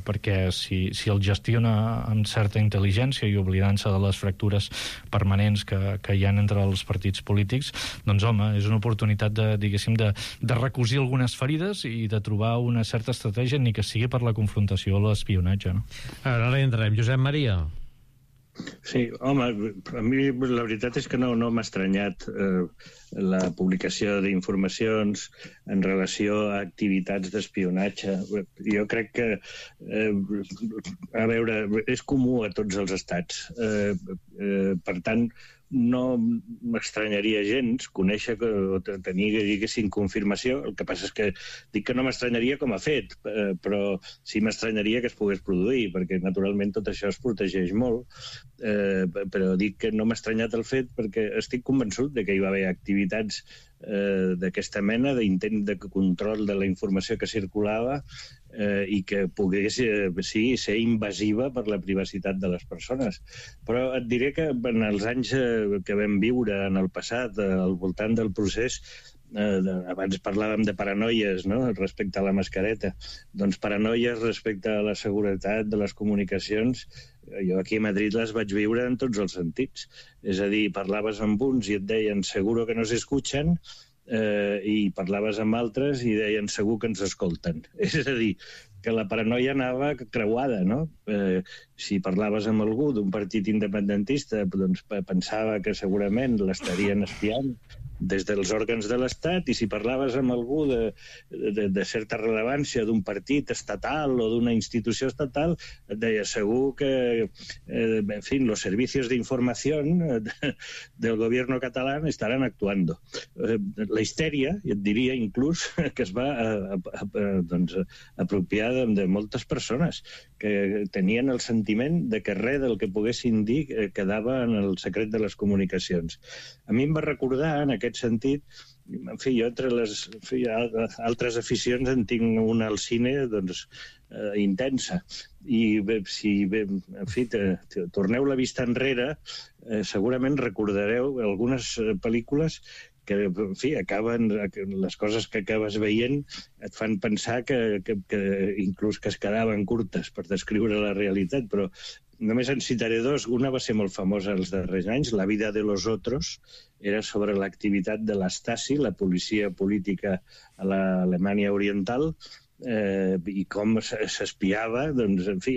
perquè si el gestiona amb certa intel·ligència i oblidant-se de les fractures permanents que hi ha entre els partits polítics, doncs home, és una oportunitat de recosir algunes ferides i de trobar una certa estratègia, ni que sigui per la confrontació o l'espionatge, no? Ara hi entrarem. Josep Maria. Sí, home, a mi la veritat és que no m'ha estranyat la publicació d'informacions en relació a activitats d'espionatge. Jo crec que, a veure, és comú a tots els estats. Per tant, no m'estranyaria gens conèixer o tenir, diguéssim, confirmació. El que passa és que dic que no m'estranyaria com a fet, però sí m'estranyaria que es pogués produir, perquè naturalment tot això es protegeix molt, però dic que no m'ha estranyat el fet perquè estic convençut de que hi va haver activitats d'aquesta mena, d'intent de control de la informació que circulava i que pogués, sí, ser invasiva per la privacitat de les persones. Però et diré que en els anys que vam viure en el passat, al voltant del procés, abans parlàvem de paranoies, no?, respecte a la mascareta. Doncs paranoies respecte a la seguretat de les comunicacions, jo aquí a Madrid les vaig viure en tots els sentits. És a dir, parlaves amb uns i et deien seguro que nos escuchan, i parlaves amb altres i deien segur que ens escolten. És a dir, que la paranoia anava creuada, no? Si parlaves amb algú d'un partit independentista, doncs pensava que segurament l'estarien espiant des dels òrgans de l'Estat, i si parlaves amb algú de certa rellevància d'un partit estatal o d'una institució estatal, et deia segur que, en fin, los servicios de información del gobierno catalán estarán actuando. La histèria, et diria inclús, que es va apropiar de moltes persones que tenien el sentiment de que res del que poguessin dir quedava en el secret de les comunicacions. A mi em va recordar, en aquest sentit, En fi, jo entre les altres aficions en tinc una al cine, doncs, intensa. I en fi, torneu la vista enrere, segurament recordareu algunes pel·lícules que, en fi, les coses que acabes veient et fan pensar que inclús que es quedaven curtes per descriure la realitat, però només en citaré dos. Una va ser molt famosa els darrers anys, La vida de los otros, era sobre l'activitat de la Stasi, la policia política a l'Alemanya Oriental, i com s'espiava, doncs, en fi,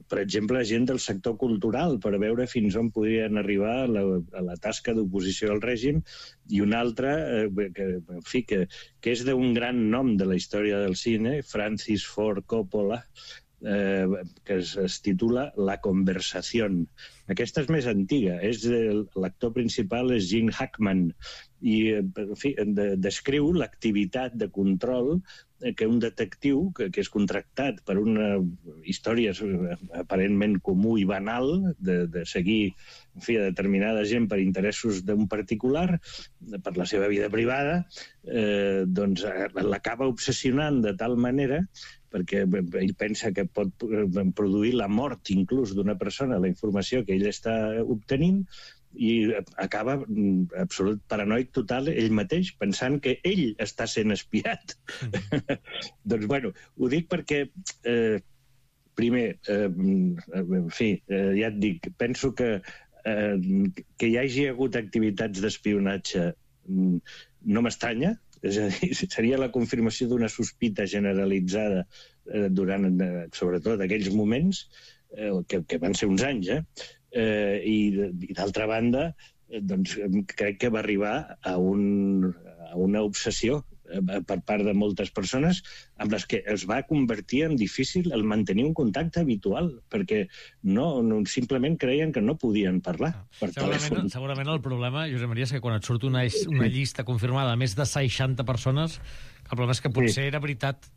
per exemple, gent del sector cultural, per veure fins on podien arribar a la tasca d'oposició al règim, i una altra, que és d'un gran nom de la història del cine, Francis Ford Coppola, que es titula La conversación. Aquesta és més antiga, l'actor principal és Gene Hackman, i en fi, descriu l'activitat de control que un detectiu, que és contractat per una història aparentment comú i banal, de seguir, en fi, determinada gent per interessos d'un particular, per la seva vida privada, doncs l'acaba obsessionant de tal manera, perquè ell pensa que pot produir la mort inclús d'una persona, la informació que ell està obtenint, i acaba absolut paranoic total ell mateix, pensant que ell està sent espiat. Doncs, bueno, ho dic perquè, primer, en fi, ja et dic, penso que hi hagi hagut activitats d'espionatge no m'estranya, és a dir, seria la confirmació d'una sospita generalitzada durant, sobretot, aquells moments, que van ser uns anys, i d'altra banda, doncs, crec que va arribar a una obsessió per part de moltes persones amb les que es va convertir en difícil el mantenir un contacte habitual, perquè simplement creien que no podien parlar per telèfon. Segurament el problema, Josep Maria, és que quan et surt una llista confirmada de més de 60 persones, el problema és que potser era veritat.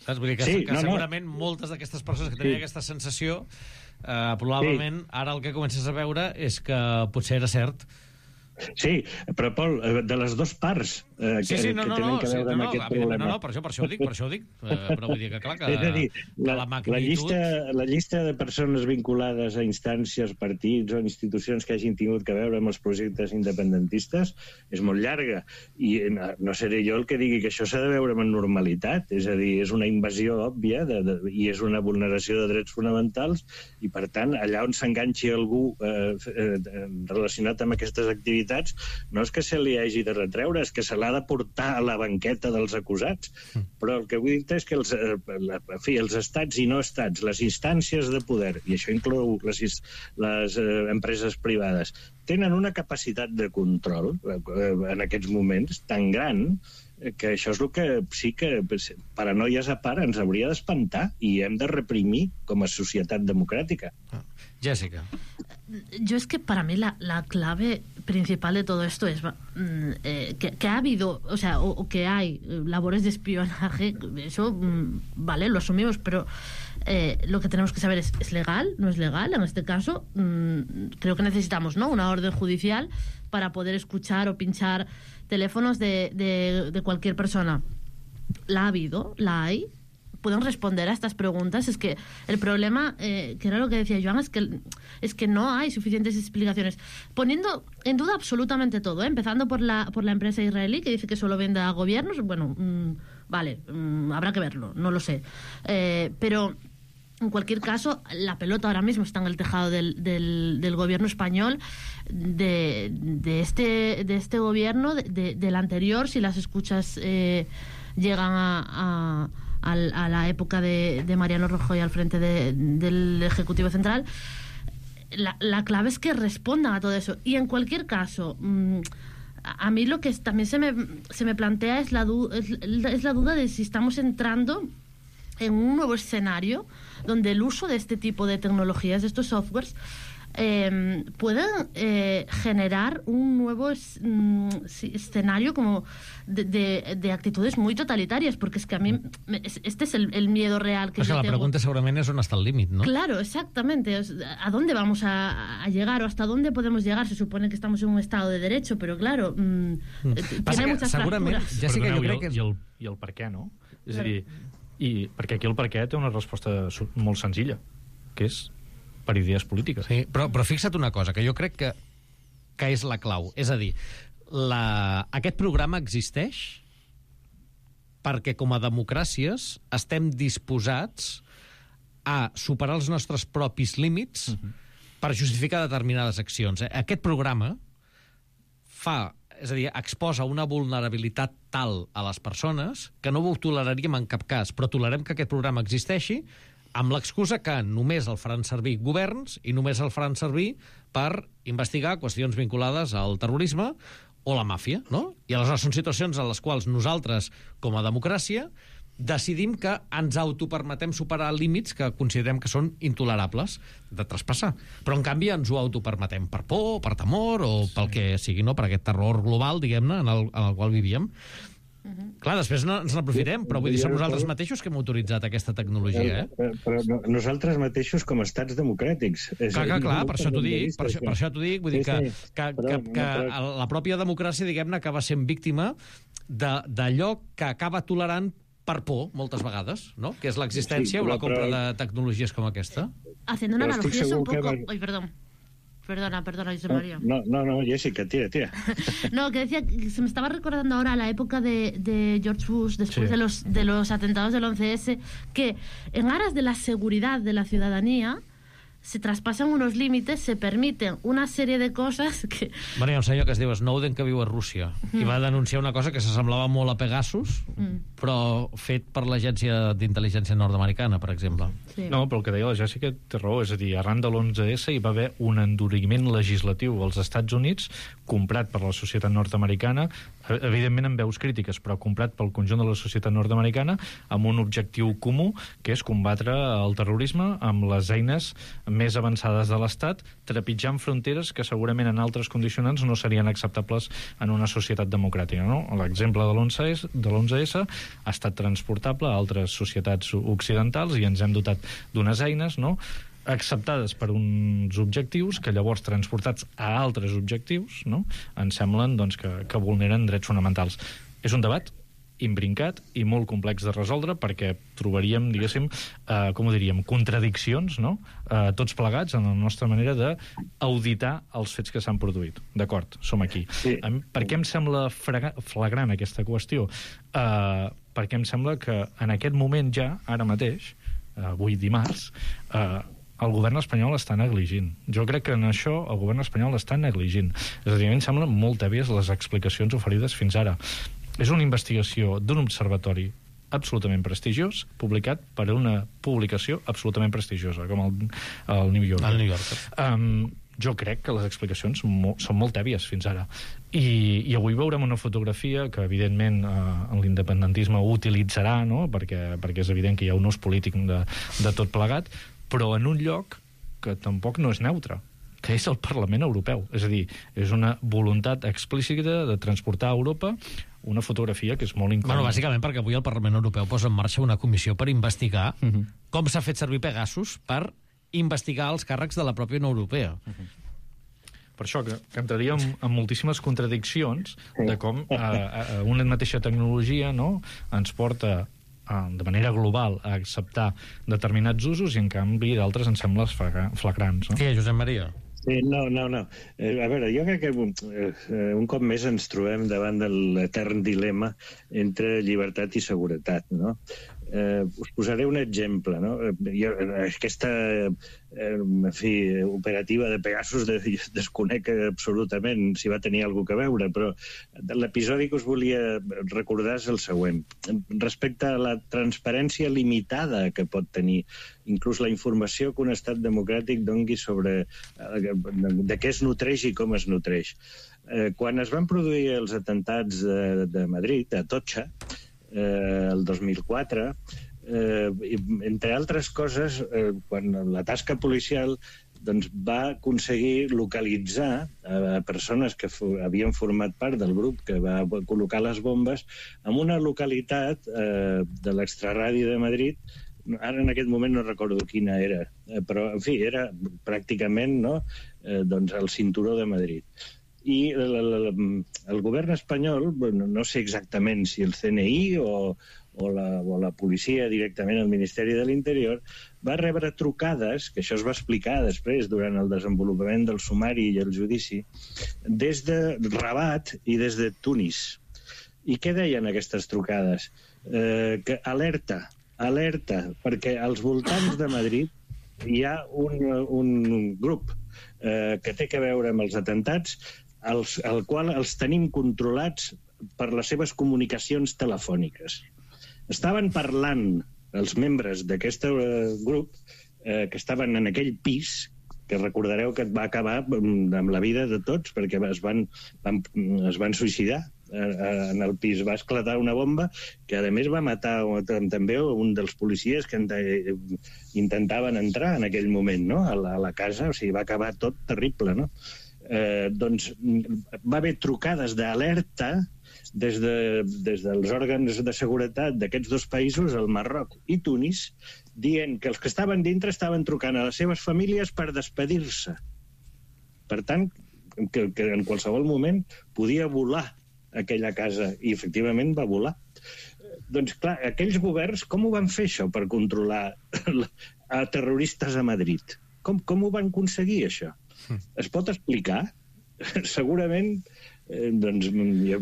Saps? Vull dir que segurament moltes d'aquestes persones que tenien aquesta sensació, probablement ara el que comences a veure és que potser era cert. Sí, però, Pol, de les dues parts que tenen que veure amb aquest problema. No, per això ho dic. Però vull dir que, clar, que la magnitud... La llista de persones vinculades a instàncies, partits o institucions que hagin tingut que veure amb els projectes independentistes és molt llarga. I no seré jo el que digui que això s'ha de veure amb normalitat. És a dir, és una invasió òbvia i és una vulneració de drets fonamentals, i, per tant, allà on s'enganxi algú relacionat amb aquestes activitats, no és que se li hagi de retreure, és que se l'ha de portar a la banqueta dels acusats. Però el que vull dir és que els estats i no estats, les instàncies de poder, i això inclou les empreses privades, tenen una capacitat de control en aquests moments tan gran que això és el que sí que, paranoies a part, ens hauria d'espantar i hem de reprimir com a societat democràtica. Jessica. Yo es que para mí la clave principal de todo esto es que ha habido, o sea, o que hay labores de espionaje, eso, vale, lo asumimos, pero lo que tenemos que saber es legal, no es legal. En este caso, creo que necesitamos, ¿no?, una orden judicial para poder escuchar o pinchar teléfonos de cualquier persona. La ha habido, la hay. Pueden responder a estas preguntas. Es que el problema, que era lo que decía Joan, es que no hay suficientes explicaciones, poniendo en duda absolutamente todo, empezando por la empresa israelí, que dice que solo vende a gobiernos. Bueno, vale, habrá que verlo, no lo sé, pero en cualquier caso, la pelota ahora mismo está en el tejado del gobierno español, de este gobierno, del anterior, si las escuchas llegan a la época de Mariano Rajoy al frente del Ejecutivo Central. La clave es que respondan a todo eso. Y en cualquier caso, a mí lo que también se me plantea es la duda de si estamos entrando en un nuevo escenario donde el uso de este tipo de tecnologías, de estos softwares, pueden generar un nuevo escenario como de actitudes muy totalitarias, porque es que a mí este es el miedo real que yo tengo. La pregunta seguramente es on està el límit, ¿no? Claro, exactamente. ¿A dónde vamos a llegar o hasta dónde podemos llegar? Se supone que estamos en un estado de derecho, pero claro, tiene muchas fracturas. Jessica, jo crec que... I el per què, no? És a dir, perquè aquí el per què té una resposta molt senzilla, que és per idees polítiques. Sí, però fixa't una cosa, que jo crec que és la clau. És a dir, aquest programa existeix perquè com a democràcies estem disposats a superar els nostres propis límits per justificar determinades accions. Aquest programa és a dir, exposa una vulnerabilitat tal a les persones que no ho toleraríem en cap cas, però tolerem que aquest programa existeixi amb l'excusa que només el faran servir governs i només el faran servir per investigar qüestions vinculades al terrorisme o la màfia, no? I aleshores són situacions en les quals nosaltres, com a democràcia, decidim que ens autopermetem superar límits que considerem que són intolerables de traspassar. Però, en canvi, ens ho autopermetem per por, per temor o pel que sigui, no? Per aquest terror global, diguem-ne, en el qual vivíem. Clar, després ens n'aprofitem, però vull dir, som nosaltres mateixos que hem autoritzat aquesta tecnologia, Però nosaltres mateixos com a estats democràtics. Clar, per això t'ho dic, vull dir que la pròpia democràcia, diguem-ne, acaba sent víctima d'allò que acaba tolerant per por, moltes vegades, no? Que és l'existència o la compra de tecnologies com aquesta. Haciendo una analogía es un poco... Ay, perdón. Perdona, José María. No, Jessica, tira. No, que decía que se me estaba recordando ahora la época de George Bush, después de los atentados del 11S, que en aras de la seguridad de la ciudadanía se traspasan unos límites, se permiten una serie de cosas que... Bueno, hi ha un senyor que es diu Snowden que viu a Rússia i va denunciar una cosa que s'assemblava molt a Pegasus, però fet per l'agència d'intel·ligència nord-americana, per exemple. Sí. No, però el que deia la Jessica té raó, és a dir, arran de l'11S hi va haver un enduriment legislatiu als Estats Units comprat per la societat nord-americana, evidentment amb veus crítiques, però comprat pel conjunt de la societat nord-americana amb un objectiu comú, que és combatre el terrorisme amb les eines més avançades de l'Estat, trepitjant fronteres que segurament en altres condicionants no serien acceptables en una societat democràtica, no? L'exemple de l'11S ha estat transportable a altres societats occidentals i ens hem dotat d'unes eines, no?, acceptades per uns objectius que llavors transportats a altres objectius, no?, ens semblen doncs, que vulneren drets fonamentals. És un debat imbrincat i molt complex de resoldre perquè trobaríem, diguéssim, com ho diríem, contradiccions, no?, tots plegats en la nostra manera d'auditar els fets que s'han produït. D'acord, som aquí. Sí. Per què em sembla flagrant aquesta qüestió? Perquè em sembla que en aquest moment ja, ara mateix, avui dimarts, el govern espanyol està negligint. Jo crec que en això el govern espanyol està negligint. És a dir, a mi em semblen molt tèbies les explicacions oferides fins ara. És una investigació d'un observatori absolutament prestigiós, publicat per una publicació absolutament prestigiosa, com el New Yorker. El New Yorker. Jo crec que les explicacions són molt tèbies fins ara. I avui veurem una fotografia que, evidentment, l'independentisme ho utilitzarà, no?, perquè és evident que hi ha un ús polític de tot plegat, però en un lloc que tampoc no és neutre, que és el Parlament Europeu. És a dir, és una voluntat explícita de transportar a Europa una fotografia que és molt incòmoda. Bueno, bàsicament perquè avui el Parlament Europeu posa en marxa una comissió per investigar com s'ha fet servir Pegasus per investigar els càrrecs de la pròpia Unió Europea. Per això que entraríem en moltíssimes contradiccions de com una mateixa tecnologia, no?, ens porta de manera global a acceptar determinats usos i en canvi d'altres ens semblen flagrants, no? Què, Josep Maria? Sí, no. A veure, jo crec que un cop més ens trobem davant de l'etern dilema entre llibertat i seguretat, no? Us posaré un exemple, no? Aquesta operativa de Pegasus desconec absolutament si va tenir alguna cosa a veure, però l'episodi que us volia recordar és el següent. Respecte a la transparència limitada que pot tenir inclús la informació que un estat democràtic dongui sobre de què es nutreix i com es nutreix. Quan es van produir els atemptats de Madrid, a Atocha, el 2004, entre altres coses, quan la tasca policial doncs va aconseguir localitzar a persones que havien format part del grup que va col·locar les bombes en una localitat de l'extraradi de Madrid. Ara en aquest moment no recordo quina era, però en fi, era pràcticament doncs el cinturó de Madrid. I el govern espanyol, no sé exactament si el CNI o la policia directament al Ministeri de l'Interior, va rebre trucades, que això es va explicar després durant el desenvolupament del sumari i el judici, des de Rabat i des de Tunis. I què deien aquestes trucades? Que alerta, perquè als voltants de Madrid hi ha un grup que té a veure amb els atentats, al qual els tenim controlats per les seves comunicacions telefòniques. Estaven parlant els membres d'aquest grup que estaven en aquell pis, que recordareu que va acabar amb la vida de tots, perquè es van suïcidar. En el pis va esclatar una bomba que, a més, va matar també un dels policies que intentaven entrar en aquell moment a la casa. O sigui, va acabar tot terrible, no? Doncs va haver trucades d'alerta des dels òrgans de seguretat d'aquests dos països, el Marroc i Tunis, dient que els que estaven dintre estaven trucant a les seves famílies per despedir-se. Per tant, que en qualsevol moment podia volar aquella casa, i efectivament va volar. Doncs clar, aquells governs com ho van fer això per controlar a terroristes a Madrid? Com ho van aconseguir això? Es pot explicar? Segurament, doncs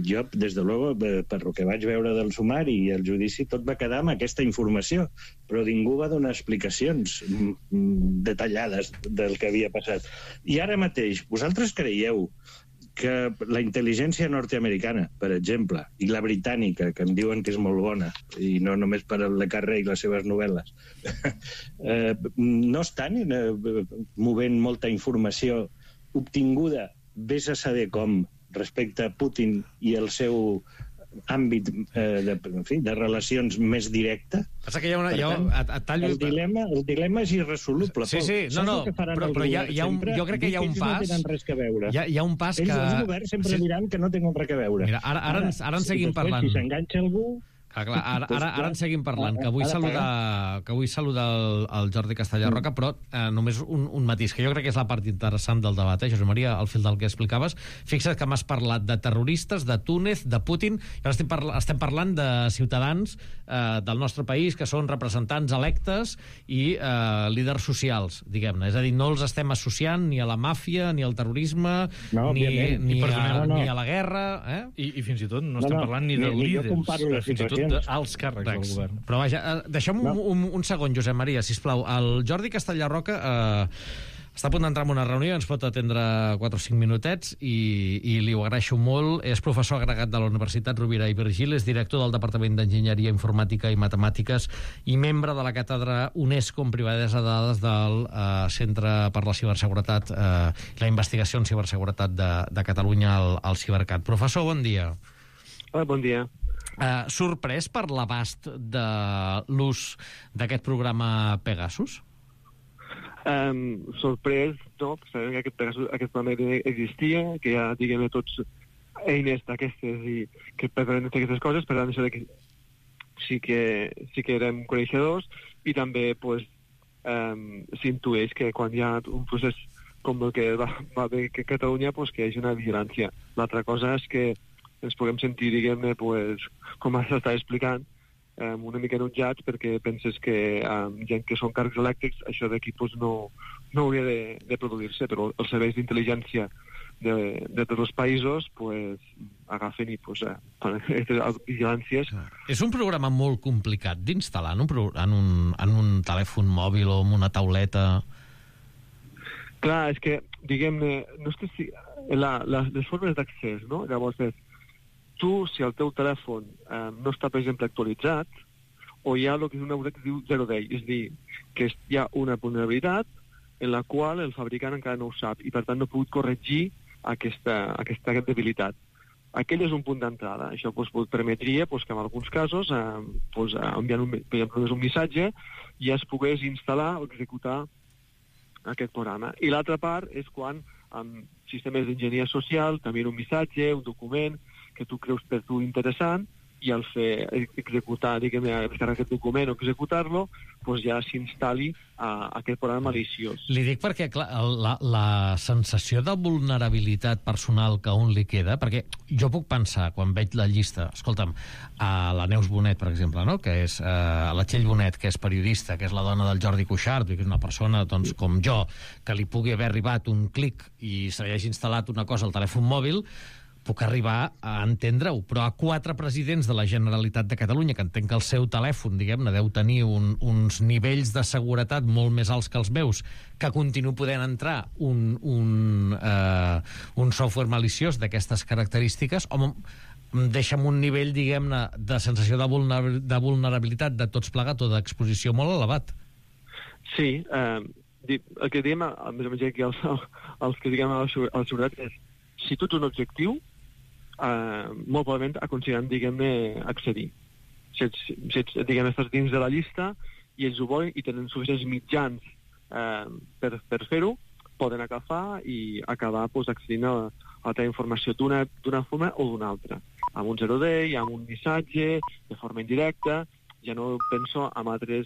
jo, des de luego, per el que vaig veure del sumari i el judici, tot va quedar amb aquesta informació, però ningú va donar explicacions detallades del que havia passat. I ara mateix, vosaltres creieu que la intel·ligència nord-americana, per exemple, i la britànica, que em diuen que és molt bona, i no només per Le Carré i les seves novel·les, no estan movent molta informació obtinguda, vés a saber com, respecte a Putin i el seu àmbit de relacions més directe. Passa que el dilema és irresoluble. Sí, però jo crec que hi ha un pas. Hi ha un pas que... Els governs sempre diran que no tenen res a veure. Mira, ara en seguim parlant. Si s'enganxa algú... Clar, ara en seguim parlant, que vull saludar el Jordi Castellarroca, però només un matís, que jo crec que és la part interessant del debat, Josep Maria, al fil del que explicaves. Fixa't que m'has parlat de terroristes, de Túnez, de Putin, i ara estem parlant de ciutadans del nostre país que són representants electes i líders socials, diguem-ne. És a dir, no els estem associant ni a la màfia, ni al terrorisme, ni a la guerra. I fins i tot no estem parlant ni de líders, fins i tot d'alts càrrecs del govern. Però vaja, deixem un segon, Josep Maria, sisplau. El Jordi Castellarroca està a punt d'entrar en una reunió, ens pot atendre 4 o 5 minutets i li ho agraeixo molt. És professor agregat de la Universitat Rovira i Virgili, és director del Departament d'Enginyeria Informàtica i Matemàtiques i membre de la càtedra UNESCO en privadesa de dades del Centre per la Ciberseguretat i la Investigació en Ciberseguretat de Catalunya, al Cibercat. Professor, bon dia. Hola, bon dia. Sorprès per l'abast de l'ús d'aquest programa Pegasus? Sorprès, no, sabem que aquest programa existia, que hi ha, diguem-ne, tots eines d'aquestes i que permeten aquestes coses, per tant, això que sí que érem coneixedors, i també s'intueix que quan hi ha un procés com el que va haver a Catalunya, que hi hagi una vigilància. L'altra cosa és que ens puguem sentir, diguem-ne, com s'està explicant, una mica enutjats, perquè penses que gent que són càrrecs elèctrics, això d'aquí no hauria de produir-se, però els serveis d'intel·ligència de tots els països agafen i fan aquestes vigilàncies. És un programa molt complicat d'instal·lar en un telèfon mòbil o en una tauleta? Clar, és que, diguem-ne, no és que les formes d'accés, no? Llavors tu, si el teu telèfon no està, per exemple, actualitzat, o hi ha el que és una que es diu zero day, és a dir, que hi ha una vulnerabilitat en la qual el fabricant encara no ho sap i, per tant, no ha pogut corregir aquesta debilitat. Aquell és un punt d'entrada. Això permetria que en alguns casos, enviant un missatge, ja es pogués instal·lar o executar aquest programa. I l'altra part és quan, amb sistemes d'enginyeria social, t'envien un missatge, un document que tu creus per tu interessant, i al fer executar, diguem-ne, descarregar aquest document o executar-lo, doncs ja s'instal·li aquest programa maliciós. Li dic perquè, clar, la sensació de vulnerabilitat personal que a un li queda, perquè jo puc pensar, quan veig la llista, escolta'm, a la Neus Bonet, per exemple, no? Que és la Txell Bonet, que és periodista, que és la dona del Jordi Cuixart, que és una persona, doncs, com jo, que li pugui haver arribat un clic i se li hagi instal·lat una cosa al telèfon mòbil, puc arribar a entendre-ho, però a 4 presidents de la Generalitat de Catalunya, que entenc que el seu telèfon, diguem-ne, deu tenir uns nivells de seguretat molt més alts que els meus, que continuo podent entrar un software maliciós d'aquestes característiques, home, em deixa amb un nivell, diguem-ne, de sensació de vulnerabilitat de tots plegats o d'exposició molt elevat. Sí, el que diem, a més o menys aquí els que diguem a la seguretat és, si tu ets un objectiu, molt probablement aconseguiran, diguem-ne, accedir. Si ets, diguem-ne, estàs dins de la llista i ells ho volen i tenen suficients mitjans per fer-ho, poden agafar i acabar accedint a la teva informació d'una forma o d'una altra. Amb un 010, amb un missatge, de forma indirecta, ja no penso en altres